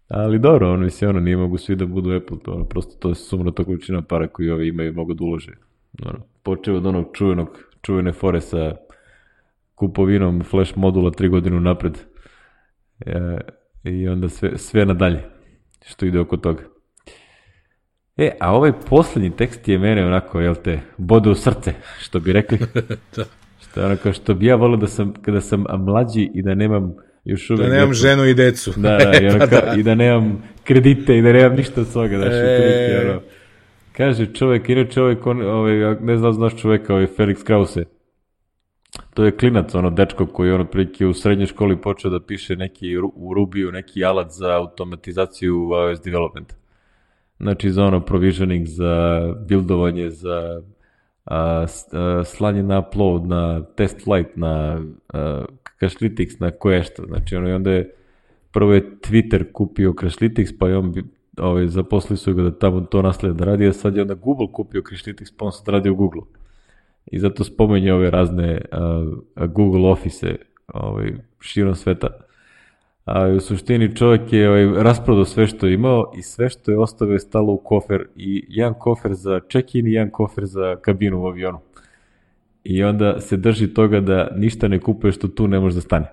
A: Ali dobro, ono, mislim, ono, nije mogu svi da budu Apple, to, ono, prosto to je sumno to količina para koju ovi imaju mogu da ulože. Ono, počeo od onog čuvenog, čuvene fore sa kupovinom flash modula tri godinu napred e, i onda sve, sve nadalje što ide oko toga. E, a ovaj posljednji tekst je mene onako, jel te, bode u srce, što bi rekli. Da. Što je onako, što bi ja volio da sam, kada sam mlađi i da nemam još uvijek...
B: Da nemam decu. Ženu i decu.
A: Da, da, i, ono, ka, i da nemam kredite i da nemam ništa od svoga. Znaš, e... ono, kaže čovjek, inače ovaj, ovaj, ne znam, znaš čovjeka, ovaj Felix Krause. To je klinac, ono, dečko koji on otprilike u srednjoj školi počeo da piše neki u Rubiju, neki alat za automatizaciju iOS developmenta. Znači za ono provisioning, za buildovanje, za a, a, slanje na upload, na test flight, na a, Crashlytics, na koje što. Znači ono, i onda je prvo je Twitter kupio Crashlytics, pa je on ovaj, zaposlili su ga da tamo to nastavlja da radi, a sad je onda Google kupio Crashlytics, pa on sad radi u Google. I zato spomenje ove razne a, Google Office ovaj, širom sveta. A u suštini čovjek je ovaj, rasprodao sve što je imao i sve što je ostavio je stalo u kofer i jedan kofer za check-in i jedan kofer za kabinu u avionu. I onda se drži toga da ništa ne kupuje što tu ne može da stane.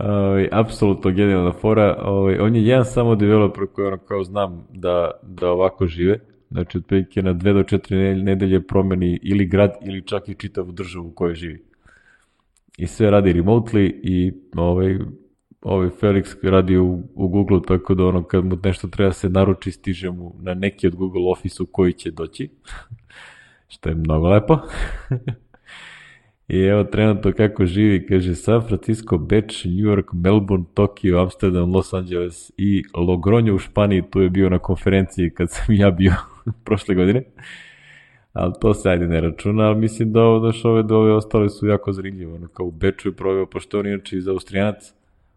A: ovaj, apsolutno genijalna fora. Ovaj, on je jedan samo developer koji ono kao znam da, da ovako žive. Znači, otprilike na dve do četiri nedelje promeni ili grad ili čak i čitavu državu u kojoj živi. I sve radi remotely i ovaj, ovaj Felix radi u, u Google, tako da ono kad mu nešto treba se naruči, stiže mu na neki od Google Office u koji će doći. Što je mnogo lepo. I evo trenutno kako živi, kaže San Francisco, Beč, New York, Melbourne, Tokio, Amsterdam, Los Angeles i Logroño u Španiji, tu je bio na konferenciji kad sam ja bio prošle godine. ali to se ajde ne računa, ali mislim da ovo, daš ove, da ove ostale su jako zanimljivo. Ono, kao u Beču je proveo, pošto on inače iz Austrijanac,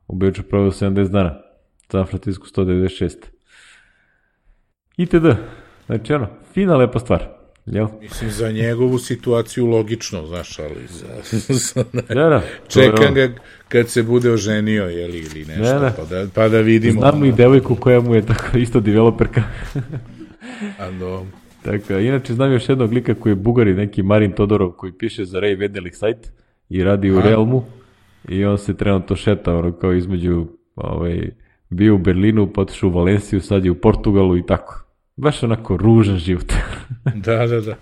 A: u Beču je proveo sedamdeset dana, San Francisco sto devedeset šest. itd. Znači ono, fina lepa stvar. Jel?
B: Mislim, za njegovu situaciju logično, znaš, ali za, za,
A: da, da,
B: čekam ga kad se bude oženio, jel, ili nešto, da, da. Pa, da, pa da vidimo.
A: Znam ono. I devojku koja mu je tako isto developerka.
B: A no.
A: Tako, inače znam još jednog lika koji je Bugari, neki Marin Todorov, koji piše za Ray Vedelik sajt i radi u A. Realmu i on se trenutno šeta, ono, kao između, ovaj, bio u Berlinu, potišao u Valenciju, sad je u Portugalu i tako. Baš onako ružan život.
B: Da, da, da.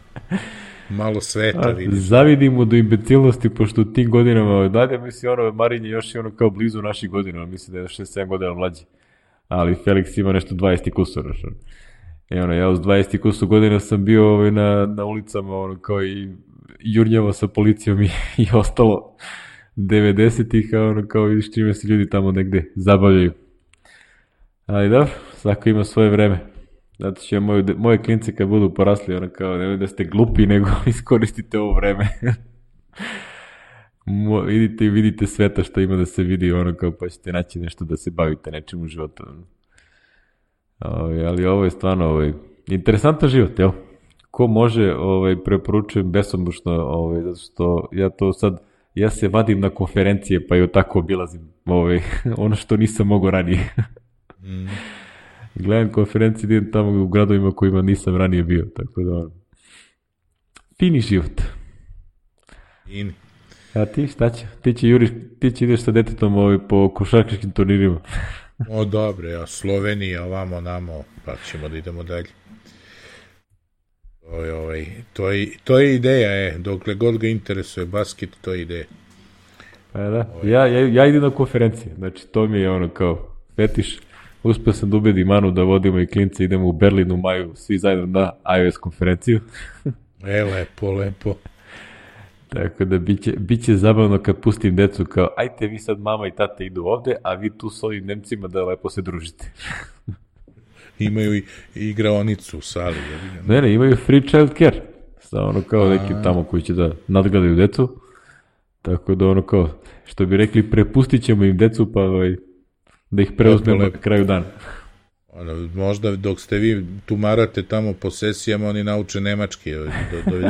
B: Malo sveta vidiš.
A: Zavidim mu do imbecilnosti, pošto u tim godinama, dalje misli ono, Marin je još i ono kao blizu naših godina, misli da je šest sedam godina mlađi. Ali Felix ima nešto dvadeset kusur. I ono, ja uz dvadeset kusur godina sam bio ovaj, na, na ulicama, ono, kao i jurnjava sa policijom i, i ostalo devedesetih, ono, kao vidiš čime se ljudi tamo negde zabavljaju. Ali dobro, svako ima svoje vreme. Zato će moje, moje klince kad budu porasli, ono kao, ne da ste glupi, nego iskoristite ovo vreme. Mo, idite i vidite sveta što ima da se vidi, ono kao, pa ćete naći nešto da se bavite nečim u životu. Ove, ali ovo je stvarno ovaj, interesantan život, jel? Ko može, ovaj, preporučujem besomušno, ovaj, zato što ja to sad, ja se vadim na konferencije, pa i tako obilazim ovaj, ono što nisam mogao ranije. Mm. Gledam konferencije, idem tamo u gradovima kojima nisam ranije bio, tako da fini život.
B: Fini.
A: A ti šta će? Ti će, juriš, ti će ideš sa detetom ovaj, po košarkaškim turnirima.
B: O, dobre, ja, Slovenija, ovamo, namo, pa ćemo da idemo dalje. To je, ovaj, to je, to je ideja, je, dokle god ga interesuje basket, to je ideja.
A: Pa da, ovaj. ja, ja, ja idem na konferencije, znači to mi je ono kao fetiš. Uspio sam da ubedim Manu da vodimo i klince, idemo u Berlin u maju, svi zajedno na iOS konferenciju.
B: E, lepo, lepo.
A: Tako da biće, biće zabavno kad pustim decu kao, ajte vi sad mama i tate idu ovde, a vi tu s ovim Nemcima da lepo se družite.
B: Imaju i igraonicu u sali.
A: Ne, ne, imaju free child care. Sa ono kao neki tamo koji će da nadgledaju decu. Tako da ono kao, što bi rekli, prepustit ćemo im decu, pa ovaj, da ih preuzmemo na kraju dana.
B: Ono, možda dok ste vi tumarate tamo po sesijama, oni nauče nemački. Do, do,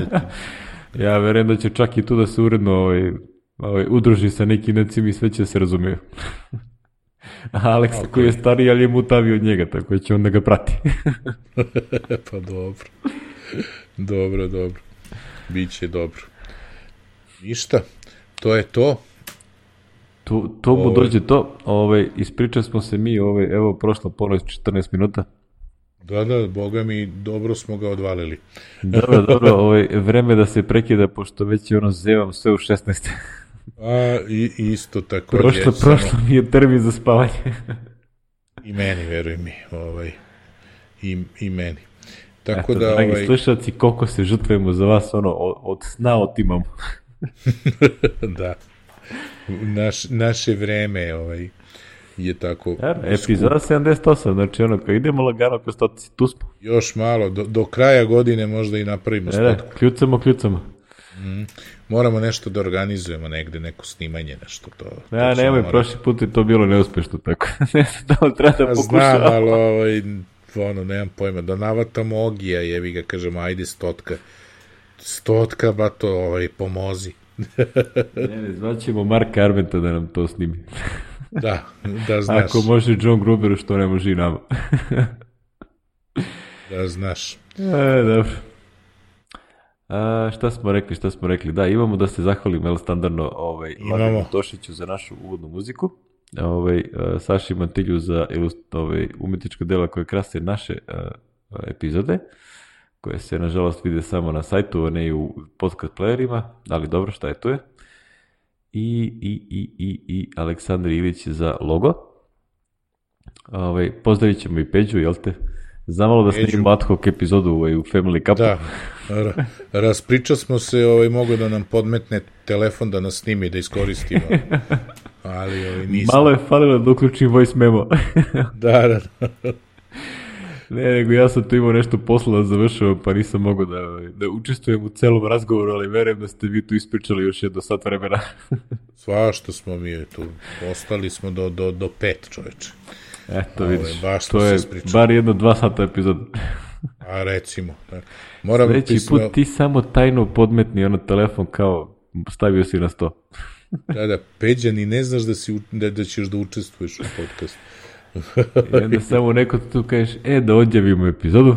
A: ja verujem da će čak i tu da se uredno ovaj, ovaj, udruži sa nekim necima i sve će se razumiju. A Alex okay. koji je stariji, ali je mutavio od njega, tako će on da ga prati.
B: Pa dobro. Dobro, dobro. Biće dobro. Ništa, to je to.
A: Tu, to mu dođe to, ovaj, ispričali smo se mi, ovaj, evo, prošlo ponoć četrnaest minuta.
B: Da, da, boga mi, dobro smo ga odvalili.
A: Dobro, dobro, ovaj, vreme da se prekida, pošto već je ono zevam sve u šesnaest.
B: A, i, isto tako.
A: Prošlo, prošlo samo... mi je termin za spavanje.
B: I meni, veruj mi, ovaj, i, i meni. Tako
A: Eto,
B: da,
A: dragi
B: ovaj...
A: slušalci, koliko se žrtvujemo za vas, ono, od, od sna otimamo.
B: Da. Naš, naše vreme ovaj, je tako...
A: Ja, epizoda sedamdeset osam, znači ono, kad idemo lagano ko stoci, tu smo.
B: Još malo, do, do kraja godine možda i napravimo
A: stotku. Ne, kljucamo, kljucamo.
B: Mm, moramo nešto da organizujemo negde, neko snimanje, nešto to.
A: Ja, nemoj, mora... prošli put je to bilo neuspešno, tako ne znam da li treba da pokušamo.
B: Znam, ali ovaj, ono, nemam pojma, da navatamo Ogija, jevi ga, kažemo, ajde stotka. Stotka, ba to, ovaj, pomozi.
A: Ne, ne, zvaćemo Marka Armenta da nam to snimi.
B: Da, da znaš.
A: Ako može John Gruber, što ne može i nama.
B: Da znaš.
A: E, dobro. A, šta smo rekli, šta smo rekli? Da, imamo da se zahvalim, jel, standardno ovaj, Vladimiru Tošiću za našu uvodnu muziku, ovaj, Saši Mantilju za ovaj, umetnička dela koje krase naše uh, epizode, koje se, nažalost, vide samo na sajtu, a ne i u podcast playerima, ali dobro, šta je to je. I, i, i, i, i Aleksandar Ilić za logo. Ovaj, pozdravit ćemo i Peđu, jel te? Zamalo da snimimo ad hoc epizodu ovaj, u Family Cupu.
B: Da, ra, raspričao smo se, ovaj, mogo da nam podmetne telefon da nas snimi, da iskoristimo. Ali ovaj, nisam.
A: Malo je falilo da uključim voice memo.
B: Da, da, da.
A: Ne, nego ja sam tu imao nešto posla da završavam, pa nisam mogao da, da učestvujem u celom razgovoru, ali verujem da ste vi tu ispričali još jedno sat vremena.
B: Svašta smo mi tu, ostali smo do, do, do pet, čoveče.
A: Eto, vidiš,
B: baš
A: to je bar jedno dva sata epizod.
B: A recimo. Da. Moram
A: Sljedeći
B: pismo...
A: put ti samo tajno podmetni ono telefon kao stavio si na sto.
B: Da, da, Peđa, ni ne znaš da, si, da, da ćeš da učestvuješ u podcastu.
A: I onda samo neko tu kažeš, e, da odjavimo epizodu.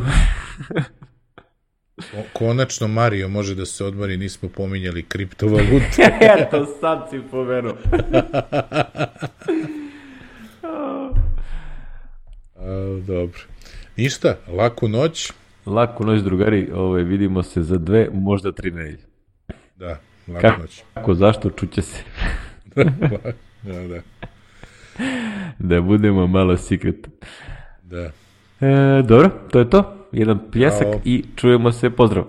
B: Konačno Mario može da se odmori, nismo pominjali kriptovalute.
A: Eto, sad si pomenuo.
B: A, dobro. Ništa, laku noć.
A: Laku noć, drugari, ovaj, vidimo se za dve, možda tri nedelje.
B: Da, laku
A: kako,
B: noć.
A: Kako, zašto, čuće se.
B: Da, da.
A: Da budemo malo secret.
B: Da.
A: E, dobro, to je to. Jedan pljesak. Ćao. I čujemo se, pozdrav.